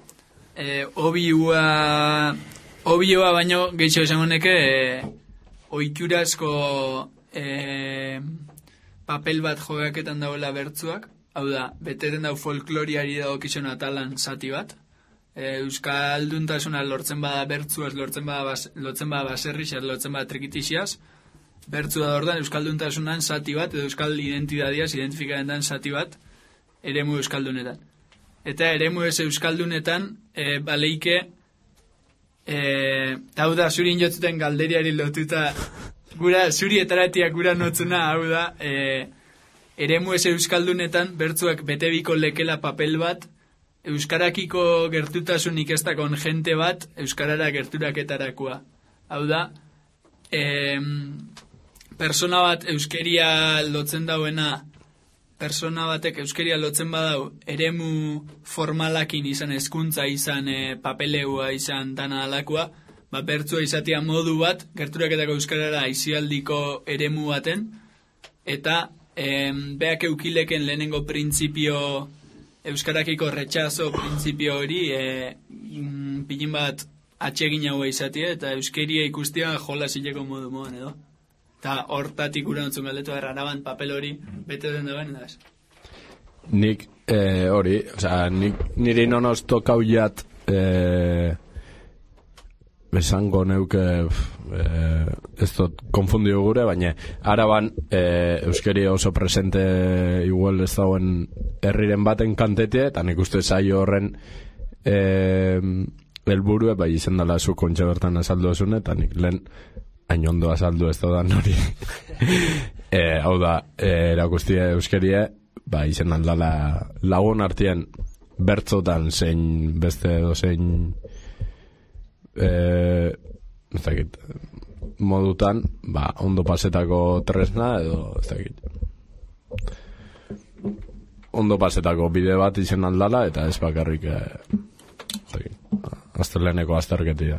obioa baino gehiago esan honeke oiturazko papel bat jogaketan dauela bertzuak, hau da, beteten dau folkloriari dago kizun atalan zati bat, euskalduntasuna lortzen bada bertzuaz, lotzen bada baserrixaz, lotzen bada trikitixiaz, bertzua da ordan euskalduntasunan zati bat, edo euskal identidadiaz identifikaren dan zati bat, eremu euskaldunetan. eta eremu ez euskaldunetan baleike hau da zurin jotzuten galderiari lotuta gura zuri etaratiak gura notzuna hau da eremu ez euskaldunetan bertzuak betebiko lekela papel bat euskarakiko gertutasunik ez dakon jente bat euskarara gerturaketarakoa. Hau da, persona bat euskeria lotzen dauena, persona batek euskeria lotzen badau, eremu formalakin izan hezkuntza izan papeleua izan dana alakoa, bertzua izatea modu bat, gerturaketako euskarara aizialdiko eremu baten, eta beak eukileken lehenengo printzipio euskarakiko retxazo printzipio hori pilin bat atsegin haua izatea eta euskeria ikustia jola zileko modu moan edo. Eta hortatik gura notzun galdetu araban papel hori bete den dagoen edaz. Nik hori, niri nonoz tokau jat esango neuke ez dut konfundio gure, baina araban euskeria oso presente igual ez dauen herriren baten kantetie, eta nik uste zaio horren helburue bai izan dela zu kontxe bertan azaldu esune, eta nik lehen hain ondo azaldu ez da hori hau da erakustia euskeria bai izan aldala lagun artean bertzotan zein beste edo zein ez dakit modutan ondo pasetako tresna edo ez dakit ondo pasetako bide bat izan aldala eta ez bakarrik azterleneko azterketia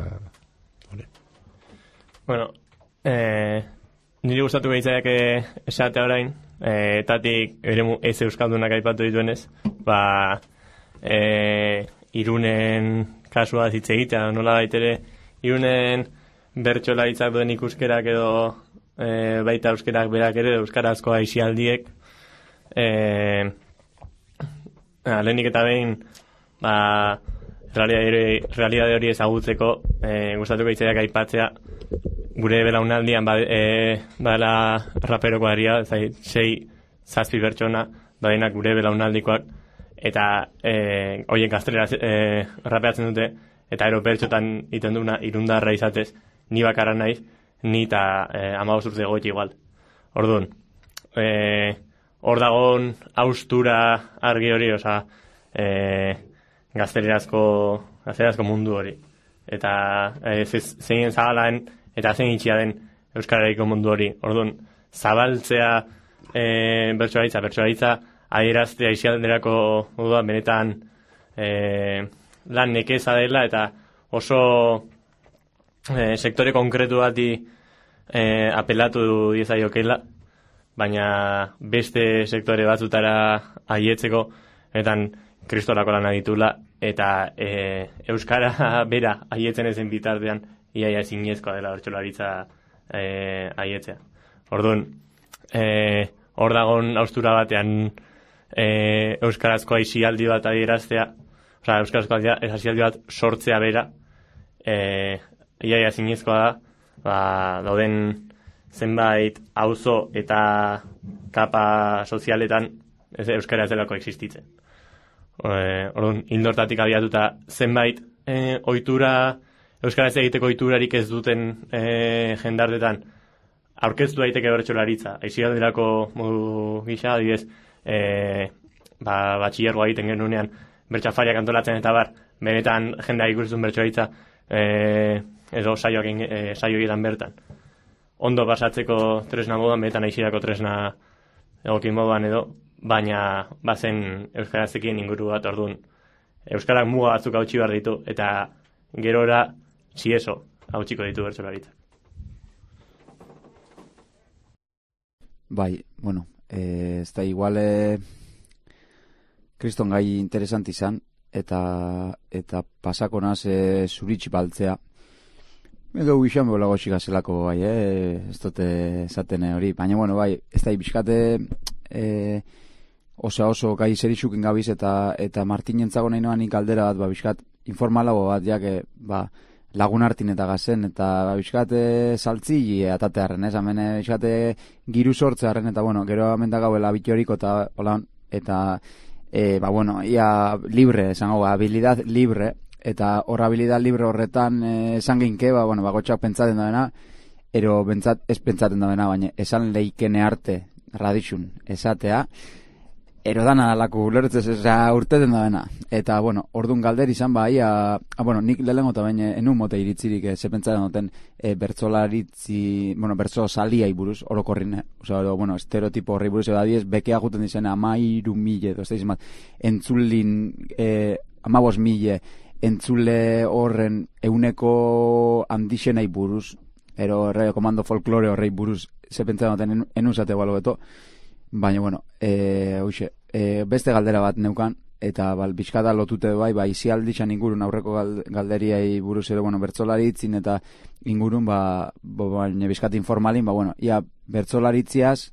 Bueno, niri gustatu behitzaiak esatea orain, etatik eremu ez euskaldunak aipatu dituenez, Irunen kasua hitz egitea, nola baitere, Irunen bertsolaritzak duen ikuskerak edo baita euskerak berak ere, euskarazko aisialdiek, lehenik eta behin, realidade hori ezagutzeko, gustatu behitzaiak aipatzea, gure belaunaldian badela raperoko aria, 6-7 pertsona, badenak gure belaunaldikoak, eta hoien gaztelera rapeatzen dute, eta ero pertsotan iten duna irundarra izatez, ni bakarra naiz, ni eta 15 urte goiti igual. Orduan, hor dagoen haustura argi hori, gaztelerazko mundu hori. Eta zein zabalaen eta zein itxia den euskaraiko mundu hori. Orduan, zabaltzea bertsolaritza adieraztea isialderako modua benetan lan nekeza dela eta oso sektore konkretu bati apelatu diezaiokela, baina beste sektore batzutara aietzeko etan kristolako lan aditula eta euskara bera aietzen ezen bitartean iaia ezinezkoa dela bertsolaritza aietzea. Orduan, hor dagoen haustura batean euskarazko aisialdi bat adieraztea, euskarazko aisialdi bat sortzea bera, iaia ezinezkoa da, dauden zenbait auzo eta kapa sozialetan euskara ez delako existitzen. Orduan, hildortatik abiatuta zenbait ohitura, euskaraz egiteko ohiturarik ez duten jendartetan aurkeztu daiteke bertsolaritza. Aisialdirako modu gisa, adibidez, batxillergoa egiten genunean bertsafariak antolatzen eta benetan jendea ikusten bertsolaritza edo saio egiten bertan. Ondo pasatzeko tresna moduan, benetan aisirako tresna egokin moduan edo, baina bazen euskarazekien inguru bat. Orduan, euskarak muga batzuk hautsi behar ditu eta gerora txieso hautsiko ditu bertsolaritzak. Bai, bueno, ez da igual kriston gai interesant izan eta pasako naz zuritxi baltzea edo guixan bolago txigazelako bai, ez dute esaten hori, baina bueno, bai, ez da ibizkate oso gai zeritzukin gabiz eta Martinentzago nahi noanik galdera bat, bizkat informalago bat, jake, lagun hartin eta gazen, eta bizkat saltzi atatearen, hemen bizkat giru sortzearen, eta bueno, gero hemen da gauela bitoriko eta bueno, ia libre, esango, habilidad libre, eta hor habilidad libre horretan esan ginke, bueno, bagotxak pentsaten da ero ez pentsaten da baina esan leikene arte radixun esatea, ero dana alako ulertzez urteten da eta, bueno, ordun galder izan bueno, nik lehengo eta baina enun mote iritzirik ze pentsaten duten bertzolaritzi, bueno, bertzo saliai buruz, orokorrin, bueno, estereotipo horri buruz, diez, bekea juten dizen 13.000, entzulin 15.000 entzule horren euneko handixenei buruz, ero komando folklore horrei buruz, ze pentsatzen duten enuzate balo beto, baina, bueno, beste galdera bat neukan, eta bizkada lotute izialdixan ingurun aurreko galderiai buruz ere, bueno, bertzolaritzin eta ingurun, baina bizkat informalin, bueno, ia bertzolaritziaz,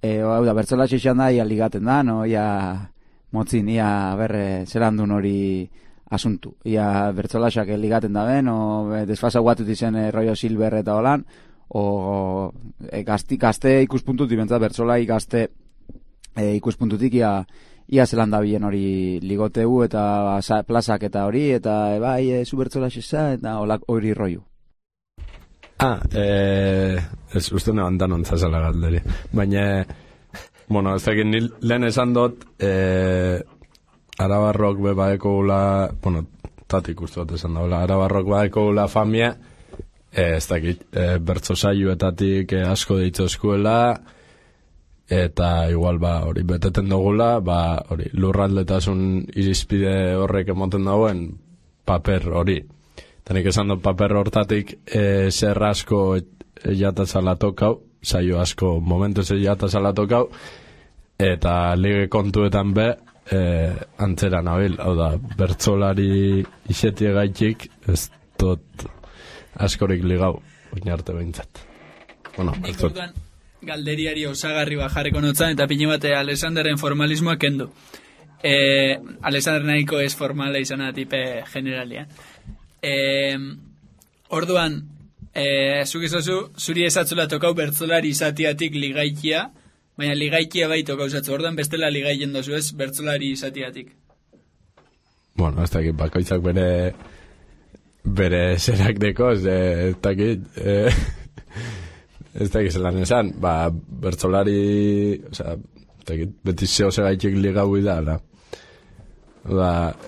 hau da, bertzolaritzian da, ia ligaten da, no, ia motzin, ia berre zelandun hori asuntu. Ia bertzolasak ligaten da ben, o desfasa guatut izen rollo silber eta holan, o gazte ikuspuntutik, bentzat bertzolai gazte ikuspuntutik ia zelan da bien hori ligoteu eta plazak eta hori, eta zu bertzolaxesa eta hori rollo. Ez uste nebantan ontzazela galderi. Baina, bueno, ez dakit lehen esan dut, Arabarrok bebaeko gula, bueno, tatik uste dut esan da, Arabarrok bebaeko gula famia, ez dakit, bertzo saioetatik asko deitzo eskuela, eta igual hori beteten dugula, hori lurraldetasun irizpide horrek emoten dagoen paper hori. Eta nik esan dut paper hortatik zer asko jatazala tokau, saio asko momentuz jatazala tokau, eta lige kontuetan antzera nabil, hau da, bertzolari isetie gaitik, ez dut askorik ligau, oin arte behintzat. Bueno, nik orduan galderiari osagarri jarriko notzan, eta pine bate Alexanderren formalismoa kendu. Alexander nahiko ez formala izan tipe generalian. Orduan, zuk izazu, zuri esatzula tokau bertzolari izatiatik ligaikia, baina ligaikia bai tokau zatzu, orduan bestela ligaien dozu ez bertzolari izatiatik. Bueno, ez dakit, bakoitzak bere zerak deko, ez dakit, ez dakit zelan esan, bertzolari, beti zeo segaitik ligau idala.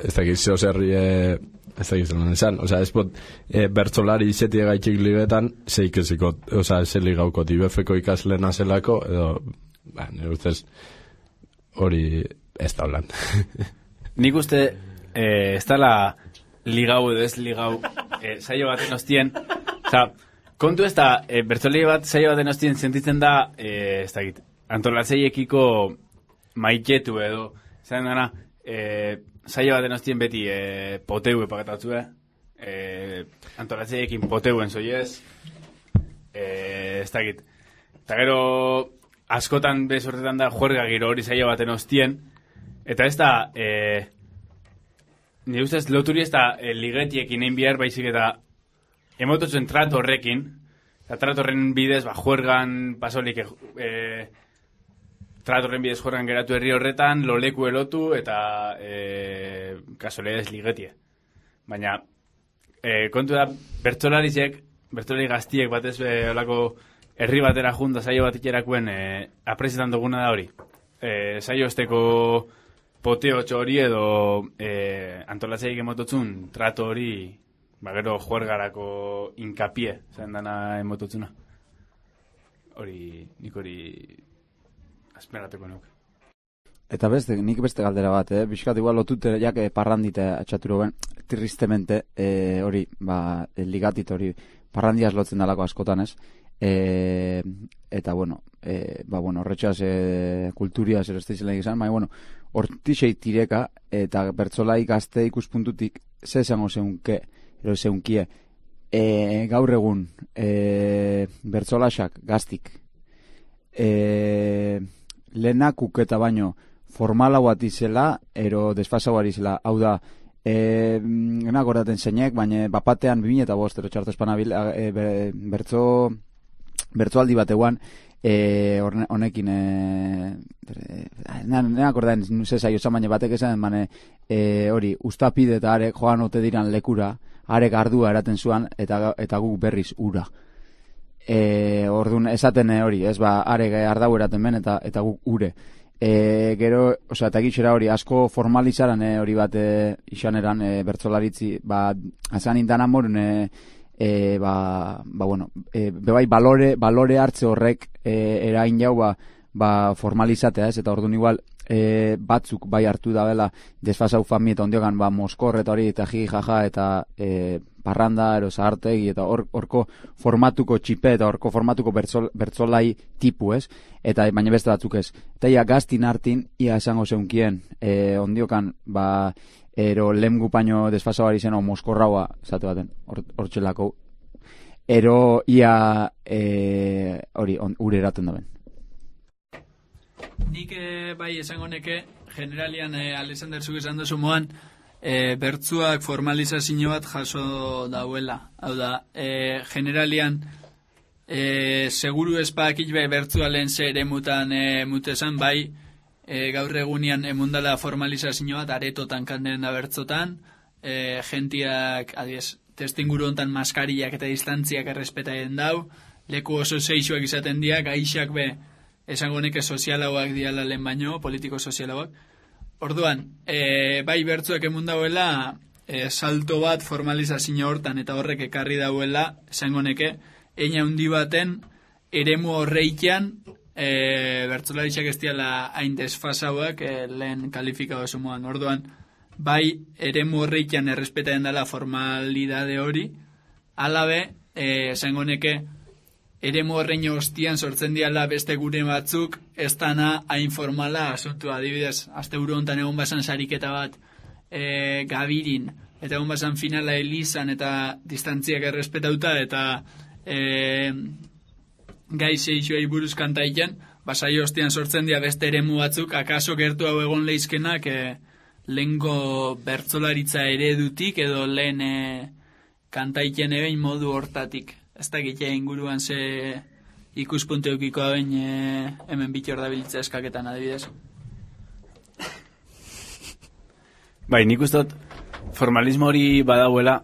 Ez dakit zeo zerri, ez dakit zelan esan, ez pot, bertzolari izetie gaitik ligetan, zeikezikot, ze ligaukot, ibefeko ikaslena zelako, edo, nire ustez, hori ez da holan. Nik uste, ez dala ligau edo ez ligau saio baten ostien, kontu ez da, bertzolari bat saio baten ostien sentitzen da, ez dakit, antolatzeiekiko maitetu edo, zaten dana, saio baten ostien beti poteu epakatatu, antolatzeiekin poteuen zoiez, ez dakit, eta gero askotan bezortetan da juerga giro hori saio baten ostien, eta ez da, nire ustez loturi ez da ligetiekin egin bihar baizik eta emototzen trato horrekin, eta trato horren bidez, juergan pasolik trato horren bidez juergan geratu herri horretan, loleku elotu eta kasoledez ligetie. Baina, kontu da, bertzolari gaztiek batez olako herri batera junta saio bat ikerakuen apresetan duguna da hori. Saio esteko poteo hori edo antolatzeik emototzun trato hori gero juergarako inkapie zain dana emototzuna. Nik hori azmerateko nuke. Eta nik beste galdera bat, bizkat igual lotute jak parrandite atxaturo ben, tristemente, hori, ligatit hori, parrandiaz lotzen dalako askotan ez, eta bueno, horretxaz kulturiaz erosteizelak izan, baina hortixei tireka eta bertzolai gazte ikuspuntutik ze esango zeunkie gaur egun bertzolasak gaztik lehenakuk eta baino formala bat izela ero desfasa bat izela, hau da genak horretan zeinek, baina bapatean 2005 ero txartu espanabil bertzoaldi bat eguan honekin nena akordaen zesa josan baina batek esan hori ustapide eta arek joan ote diran lekura arek ardua eraten zuan eta guk berriz ura orduan esaten hori ez arek ardau eraten ben eta guk ure gero, eta gitxera hori asko formalizaran hori bat isaneran bertzolaritzi azan indan amorun bebai balore hartze horrek erain jau formalizatea ez, eta orduan igual batzuk bai hartu da bela desfasau fami eta ondiogan moskor eta hori eta jaja eta parranda, zahartegi eta horko formatuko txipe eta horko formatuko bertzolai tipu ez, eta baina beste batzuk ez. Eta ia gaztin hartin, ia esango zeunkien ondiokan ero lemgu paino desfasau ari zen o moskorraua zate baten, hortxelako ero ia hori ure eraten daben. Nik bai esango neke generalian Alexander zuk esan duzu moan bertzuak formalizazio bat jaso dauela. Hau da, generalian seguru espakit bertzua lehen ze ere mutesan bai gaur egunian emundala formalizazio bat aretotan kanderen da bertzotan gentiak adiez testinguru hontan maskariak eta distantziak errespetaien dau leku oso seixuak izaten diak aixak esango neke sozialauak diala lehen baino, politiko sozialauak. Orduan, bai bertzuek emundauela salto bat formalizazio hortan eta horrek ekarri dauela, esango neke, eina hundi baten eremu horreikian bertzolaritxak ez diala hain desfasauak lehen kalifikado sumoan. Orduan, bai eremu horreikian errespetaen dela formalidade hori, alabe, esango neke, eremu horrein hostian sortzen diala beste gure batzuk, ez dana hain formala asuntua. Adibidez, azte buru hontan egon basan sariketa bat gabirin, eta egon basan finala elizan eta distantziak errespetauta, eta gai seixuei buruz kantaiken, basai hostian sortzen dira beste eremu batzuk, akaso gertu hau egon leizkenak lehenko bertzolaritza eredutik edo lehen kantaiken ebein modu hortatik. Ez da gitea inguruan ze ikuspunte eukiko hauen hemen bitor da bilitza eskaketan adibidez. Bai, nik ustot formalismo hori badauela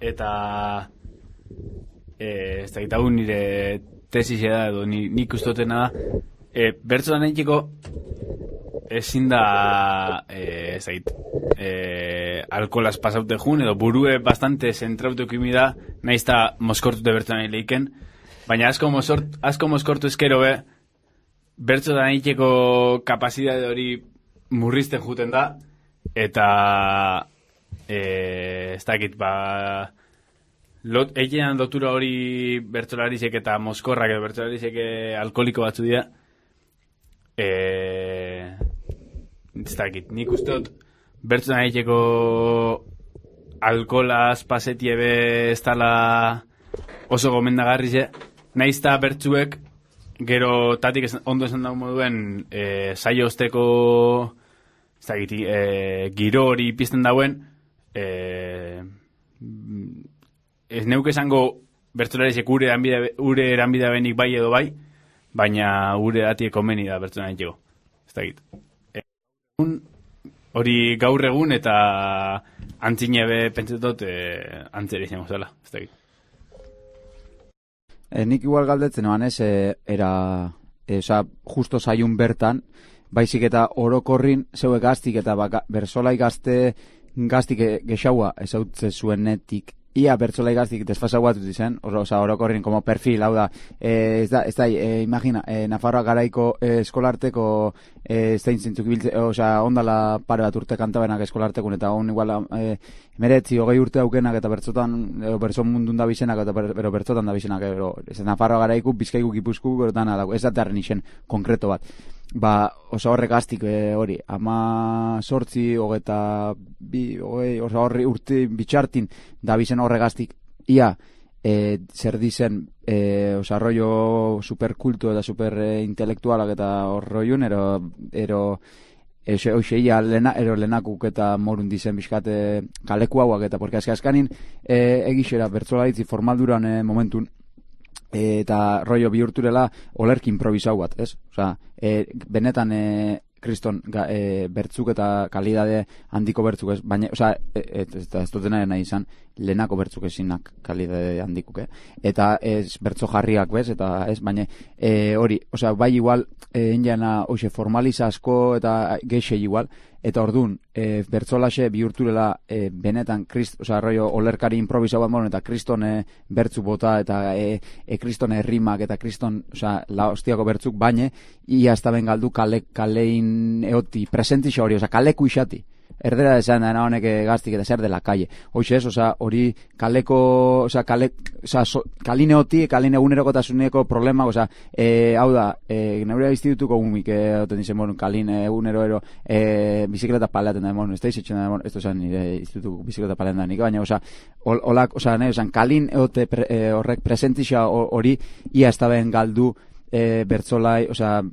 eta ez da gitagun nire tesis da edo nik ustotena da bertzotan egiteko ezin da alkolaz pasaute jun edo burue bastante zentraute ukimida nahiz eta moskortute bertzotan eileiken, baina asko moskortu eskero bertzotan egiteko kapazidade hori murrizten juten da eta ez dakit egitean lotura hori bertzolarizek eta moskorrak edo bertzolarizek alkoholiko batzu dira ez dakit, nik usteot bertzotan egiteko alkolaz pasetie ez dala oso gomendagarri nahiz eta bertzuek gero tatik ondo esan dago moduen saio osteko ez dakit, giro hori pizten dauen ez neuk esango bertzolarizek ure eranbidea benik bai edo bai, baina ure datiek komeni da bertzotan egiteko ez dakit hori gaur egun eta antzinebe pentsetot antzera izango zela, ez dakit. Nik igual galdetzen eban ez, justo zaiun bertan, baizik eta orokorrin zeuek gaztik eta bersolai gaztik gexaua ezautze zuenetik, ia bertsolai gaztik desfasau bat zen, orokorrin como perfil, hau da, ez da, imagina, Nafarroa garaiko eskolarteko zein zintzuk biltze, ondala pare bat urte kantabenak eskolartekun, eta on igual, meretzi, 20 urte aukenak, eta bertzon mundun da bizenak, eta bertzotan da bizenak, Nafarroa garaiku, Bizkaiku, Gipuzku, berotan, ez da terren isen konkreto bat. Horrek gaztik hori, 18, 22, horri urte bitxartin da bizen horrek gaztik, ia zer dizen rollo superkultu eta superintelektualak eta horroiun, ero lehenakuk eta morun dizen bizkate kaleku hauak eta porque azkanin egixera bertzolaritzi formalduran momentun eta rollo bihurturela olerki improvisau bat, ez? Osea, benetan kriston bertzuk eta kalidade handiko bertzuk, ez? Baina, osea, ez dutena nahi izan, lehenako bertzuk ezinak kalidade handikuk, eta ez bertzo jarriak, bez? Eta ez, baina hori, osea, bai igual enjana hoxe formaliza asko eta gexe igual, eta ordun bertzolaxe bihurturela benetan osea, rollo olerkari improvisau bat eta kriston bertzu bota eta kriston errimak eta kriston, osea, la hostiako bertzuk, baina ia ez da ben galdu kalein eoti presentixa hori, osea, kaleku isati. Erdera esan da honek gaztik eta zer dela kalle. Hoxe ez, osea, hori kaleko, osea, kaline oti, kaline egunerokotasuneko problema, osea, hau da, neurea institutuko umik, oten dizen, bueno, kaline egunerero bizikleta paleaten da, bueno, ez da izetxen da, ez da esan nire institutuko bizikleta paleaten da nik, baina, osea, olak, osea, nahi, osea, kalin eote horrek presentixa hori, ia ez da ben galdu, bertzolai, osea,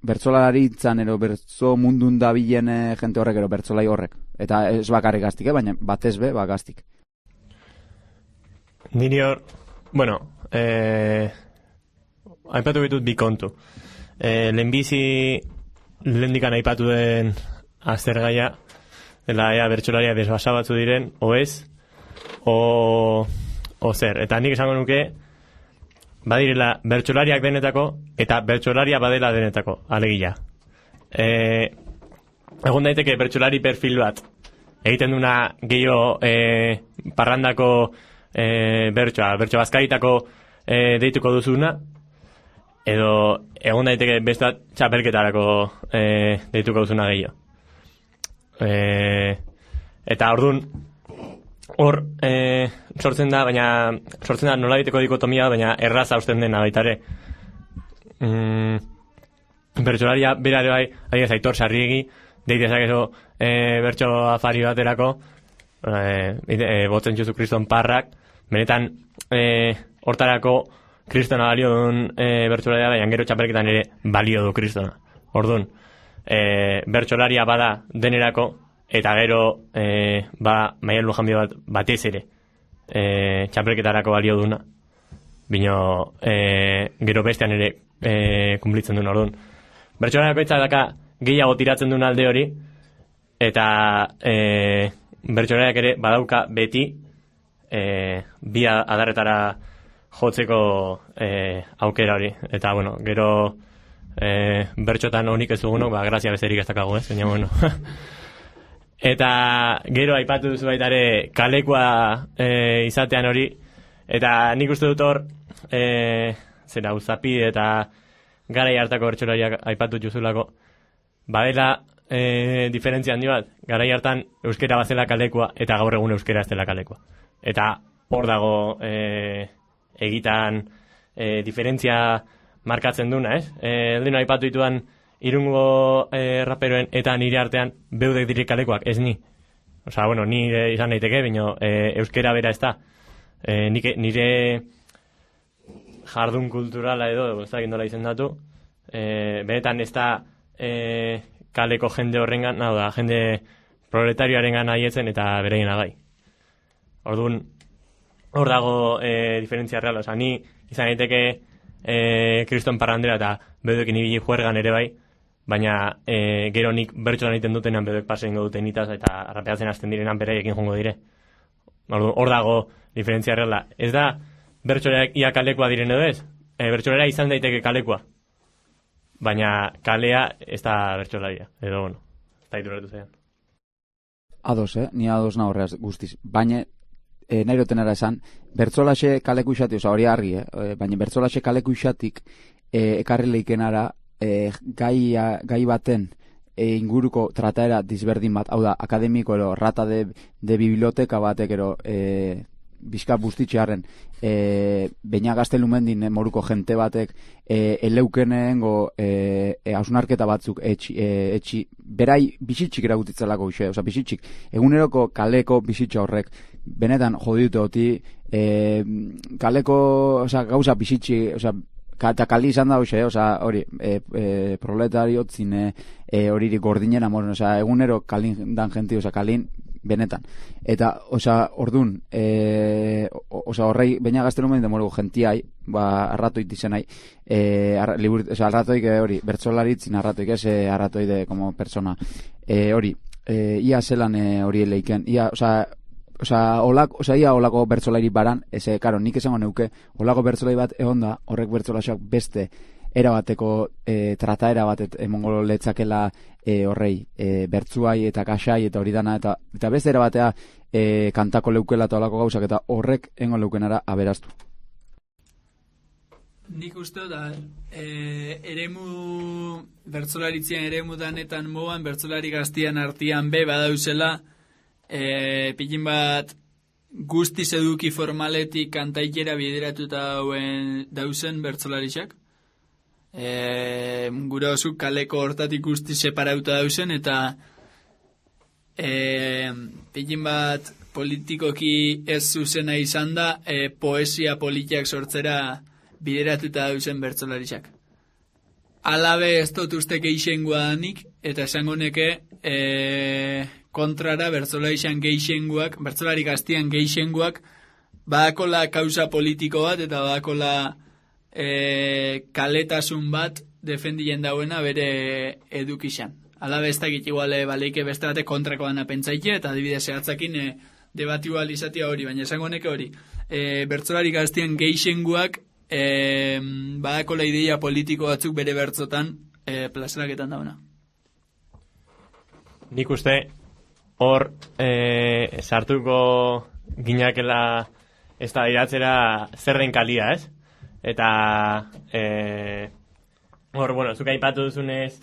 bertzolaritzan ero bertzo mundun dabilen jente horrek ero bertzolai horrek. Eta ez bakarrik gaztik, baina batez be, gaztik. Niri hor, bueno, aipatu ditut bi kontu. Lehenbizi, lehendikan aipatu den aztergaia, dela bertsolaria desbasa batzu diren, o ez, o zer. Eta nik esango nuke, badirela bertsolariak denetako eta bertsolaria badela denetako, alegia. Egon daiteke bertsolari perfil bat egiten duna gehiago parrandako bertso bazkaritako deituko duzuna, edo egon daiteke beste bat txapelketarako deituko duzuna gehiago. Eta orduan hor sortzen da nola biteko dikotomia, baina erraza usten dena baitare. Bertsolaria berare bai, adibidez Aitor Sarriegi, deitezak eso bertso afari baterako, botzen Jesu Kriston parrak, benetan hortarako kristona balio duen bertsolaria, baina gero txapelketan ere balio du kristona. Orduan, bertsolaria bada denerako, eta gero Maialen Lujanbio batez ere txapelketarako balio duna, bino gero bestean ere kumplitzen duen. Orduan, bertsolariak betza daka gehiago tiratzen duen alde hori, eta bertsolariak ere badauka beti bi adarretara jotzeko aukera hori. Eta bueno, gero bertxotan honik ez dugunok, grazia bezerik ez dakago, baina bueno. Eta gero aipatu duzu baitare kalekua izatean hori, eta nik uste dut hor zera Uzapi eta garai hartako bertsolariak aipatu juzulako, badela diferentzia handi bat, garai hartan euskera bazela kalekua eta gaur egun euskera ez dela kalekua, eta hor dago egitan diferentzia markatzen duna, ez? Eldino aipatu ditudan Irungo raperoen eta nire artean beudek direk kalekoak, ez ni. Osa, bueno, nire izan daiteke, bino euskera bera ez da. Nire jardun kulturala edo, ez da gindola izendatu, benetan ez da kaleko jende horrengan, nau da, jende proletarioarengan haietzen eta bereien agai. Orduan, hor dago diferentzia reala, osa, ni izan daiteke kriston parrandera eta beduekin ibili juergan ere bai, baina gero nik bertsolan egiten dutenan beduek pasen duten itaz eta rapeatzen hasten direnan beraiekin jongo dire. Hor dago diferentzia reala. Ez da bertsolariak ia kalekoa diren edo ez? Bertsolaria izan daiteke kalekoa, baina kalea ez da bertsolaria. Edo, bueno, ez da iturretu zean. Ados, ni ados nahorreaz guztiz. Baina nahi rotenara esan, bertsolaxe kaleku isati, oza, hori argi, baina bertsolaxe kaleku isatik ekarri leikenara gai baten inguruko trataera disberdin bat, hau da, akademiko ero, rata de biblioteka batek ero bizka bustitxearen baina gaztelumendin moruko jente batek eleukenengo hausnarketa batzuk etxi berai bizitxik eragutitzelako uxe, oza, bizitxik eguneroko kaleko bizitxa horrek benetan jodite oti kaleko, oza, gauza bizitxi, oza, eta kali izan da hoxe, oza, hori proletariotzin horirik gordinen amoren, oza, egunero kalin dan jenti, oza, kalin benetan. Eta, ordun, horrei, baina gazte numen demorugu gentiai, arratoit izenai, arratoik hori, bertsolaritzin arratoik, arratoide como persona. Hori, ia zelan hori leiken, ia olako bertsolari baran, karo, nik esango neuke, olako bertsolari bat egon da, horrek bertsolaxoak beste erabateko trataera bat emongo letzakela horrei, bertzuai eta kasai eta hori dana, eta beste erabatea kantako leukela eta olako gauzak, eta horrek engo leukenara aberaztu. Nik uste da, bertsolaritzien eremu danetan moan, bertsolari gaztian artian badauzela, pilin bat guztiz eduki formaletik kantaikera bideratuta dauzen bertsolarixak. Gure oso kaleko hortatik guzti separauta dauzen, eta pilin bat politikoki ez zuzena izan da, poesia politiak sortzera bideratuta dauzen bertsolariak. Alabe ez dut uste geixengua danik, eta esango neke kontrara bertsolarian geixenguak, bertsolari gaztian geixenguak, badakola kausa politiko bat, eta badakola kaletasun bat defendien dauena bere edukixan. Alabe ez dakit iguale baleike beste bate kontrakoan apentzaike, eta adibidez zehatzakin debati igual izatea hori, baina esango neke hori. Bertsolari gaztian geixenguak badakola ideia politiko batzuk bere bertzotan plazaraketan dauna. Nik uste hor sartuko ginakela ez da iratzera zer den kalia, ez? Eta hor, bueno, zuka aipatu duzunez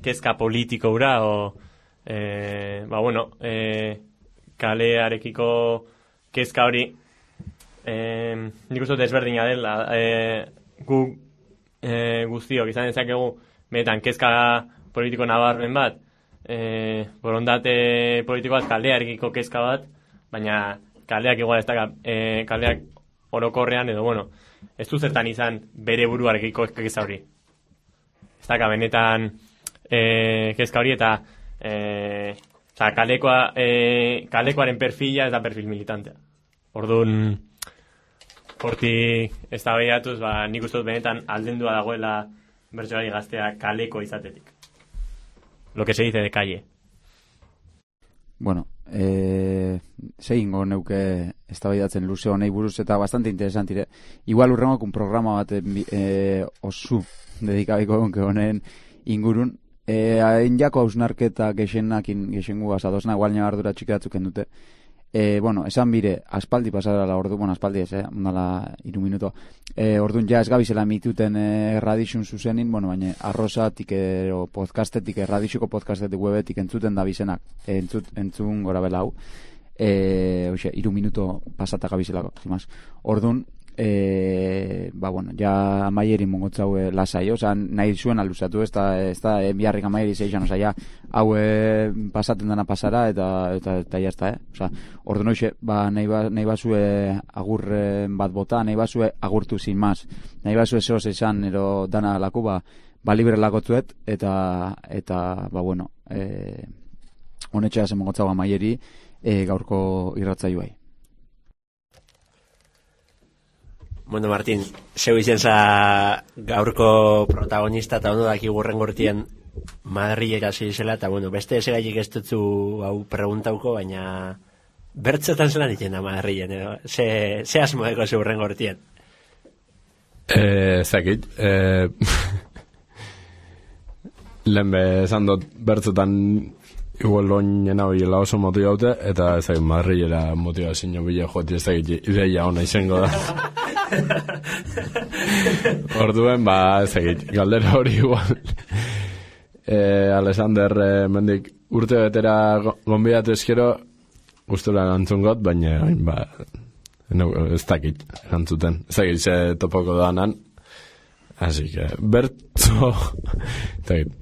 kezka politiko ura kalearekiko kezka hori nik uste desberdina dela gu guztiok izan dezakegu benetan kezka politiko nabarmen bat borondate politiko bat kalearekiko kezka bat, baina kaleak igual ez da kaleak orokorrean edo, bueno, ez du zertan izan bere buruarekiko kezka hori. Ez da benetan kezka hori eta kalekoaren perfila ez da perfil militantea. Orduan, hortik ez da behiatuz, nik uste dut benetan aldendua dagoela bertsolari gaztea kaleko izatetik. Lo que se dice de calle. Bueno, zehingo neuke eztabaidatzen luze honei buruz eta bastante interesantire. Igual urrengok un programa bat osu dedikabiko gonke honen ingurun. Hain jako hausnarketa gexengu azadosna, igual nio ardura txikatzen dute. Bueno, esan bire, aspaldi pasara la ordu, bueno, aspaldi ez, ondala 3 minuto. Orduan ja ez gabizela mituten radixun zuzenin, bueno, baina arrozatik ero podcastetik, radixuko podcastetik webetik entzuten da bizenak, entzun gora bela hau. 3 minuto pasata gabizelako, zimaz. Orduan, bueno, ja amaieri mongotzau lasai, oza, nahi zuen aluzatu, ez da biharrik amaieri zeixan, oza, ja, hau pasaten dana pasara, eta jazta, oza, ordu noixe, nahi bazue agurren bat bota, nahi bazue agurtu sin maz, nahi bazue zehoz esan, ero dana laku, libre lakotzuet, eta bueno, honetxea zen mongotzau amaieri, gaurko irratzaioai. Bueno, Martin, zeu izen za gaurko protagonista eta ondo daki gurren gortien Madrilera zizela, eta bueno, beste esegaik ez dutzu hau preguntauko, baina bertzotan zelan itena Madrilen, edo? Ze asmoeko zeu gurren gortien? Zakit, lehen esan dut bertzotan igual loinen hau hiela oso motibaute, eta ezagit Madrilera motivazio bila joti ezagit ideia hona izango da. Orduen, ezagit, galdera hori igual. Alexander, mendik urte betera gonbidatu eskero, gustura gantzun got, baina ez dakit gantzuten. Ezagit, ze topoko danan. Así que, bertzo, ezagit,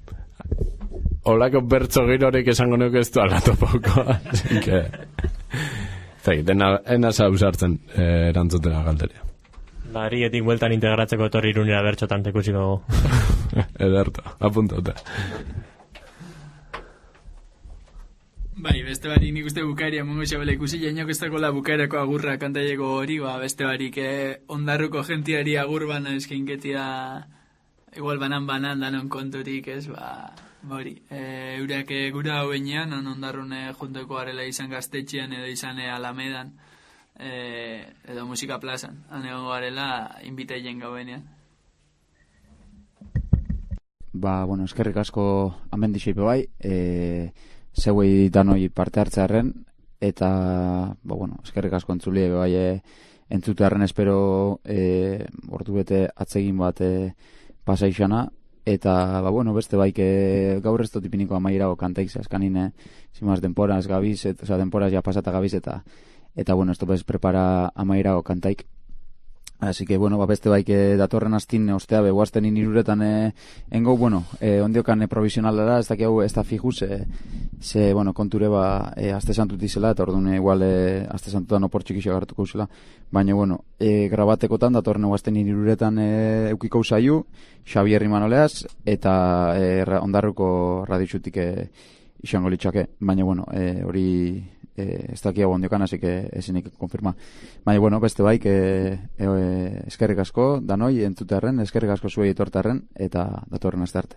olako bertzo girorik esango nuke ez du alatopoko. Así que, ezagit, enaz hausartzen erantzutena galderia. Barrietik bueltan integratzeko etorri Irunera bertxotan tekusiko. Ederto, apuntauta. Bai, beste barik nik uste bukaeria mongo xabela ikusi, jainok ez dakola bukaerako agurra kantaileko hori, beste barik ondarruko gentiari agur bana eskinketia, igual banan danon konturik, ez, hori. Eurak gura hoenean, ondarrun juntoko arela izan gaztetxean edo izan Alamedan, edo musika plazan, egongo garela inbitaien gauenean. Bueno, eskerrik asko amendixeipe bai, zeuei danoi parte hartzearen, eta, eskerrik asko entzulie bai entzutearen espero ordu bete atzegin bat pasaixana, eta, beste baik gaur ez dotipiniko amairago kantaik zaskanin, zimaz denporaz gabiz, denporaz ja pasata gabiz, eta esto bez prepara amairago kantaik. Así que, beste baik datorren astin ostea beguazten iniruretan engo, ondiokan provisionalara, ez daki hau ez da fijuz, ze, konture azte santut izela, eta orduan igual azte santutan oportxik iso agartuko uzela, baina, grabatekotan datorren eguazten iniruretan eukiko usaiu, Xabier Imanoleaz, eta ondarruko raditxutik izango litxake, baina, hori ez daki hau ondiokan, así que ezinik konfirma. Baina, beste baik eskerrik asko, danoi entzutearen, eskerrik asko zuei etortarren, eta datorren aste arte.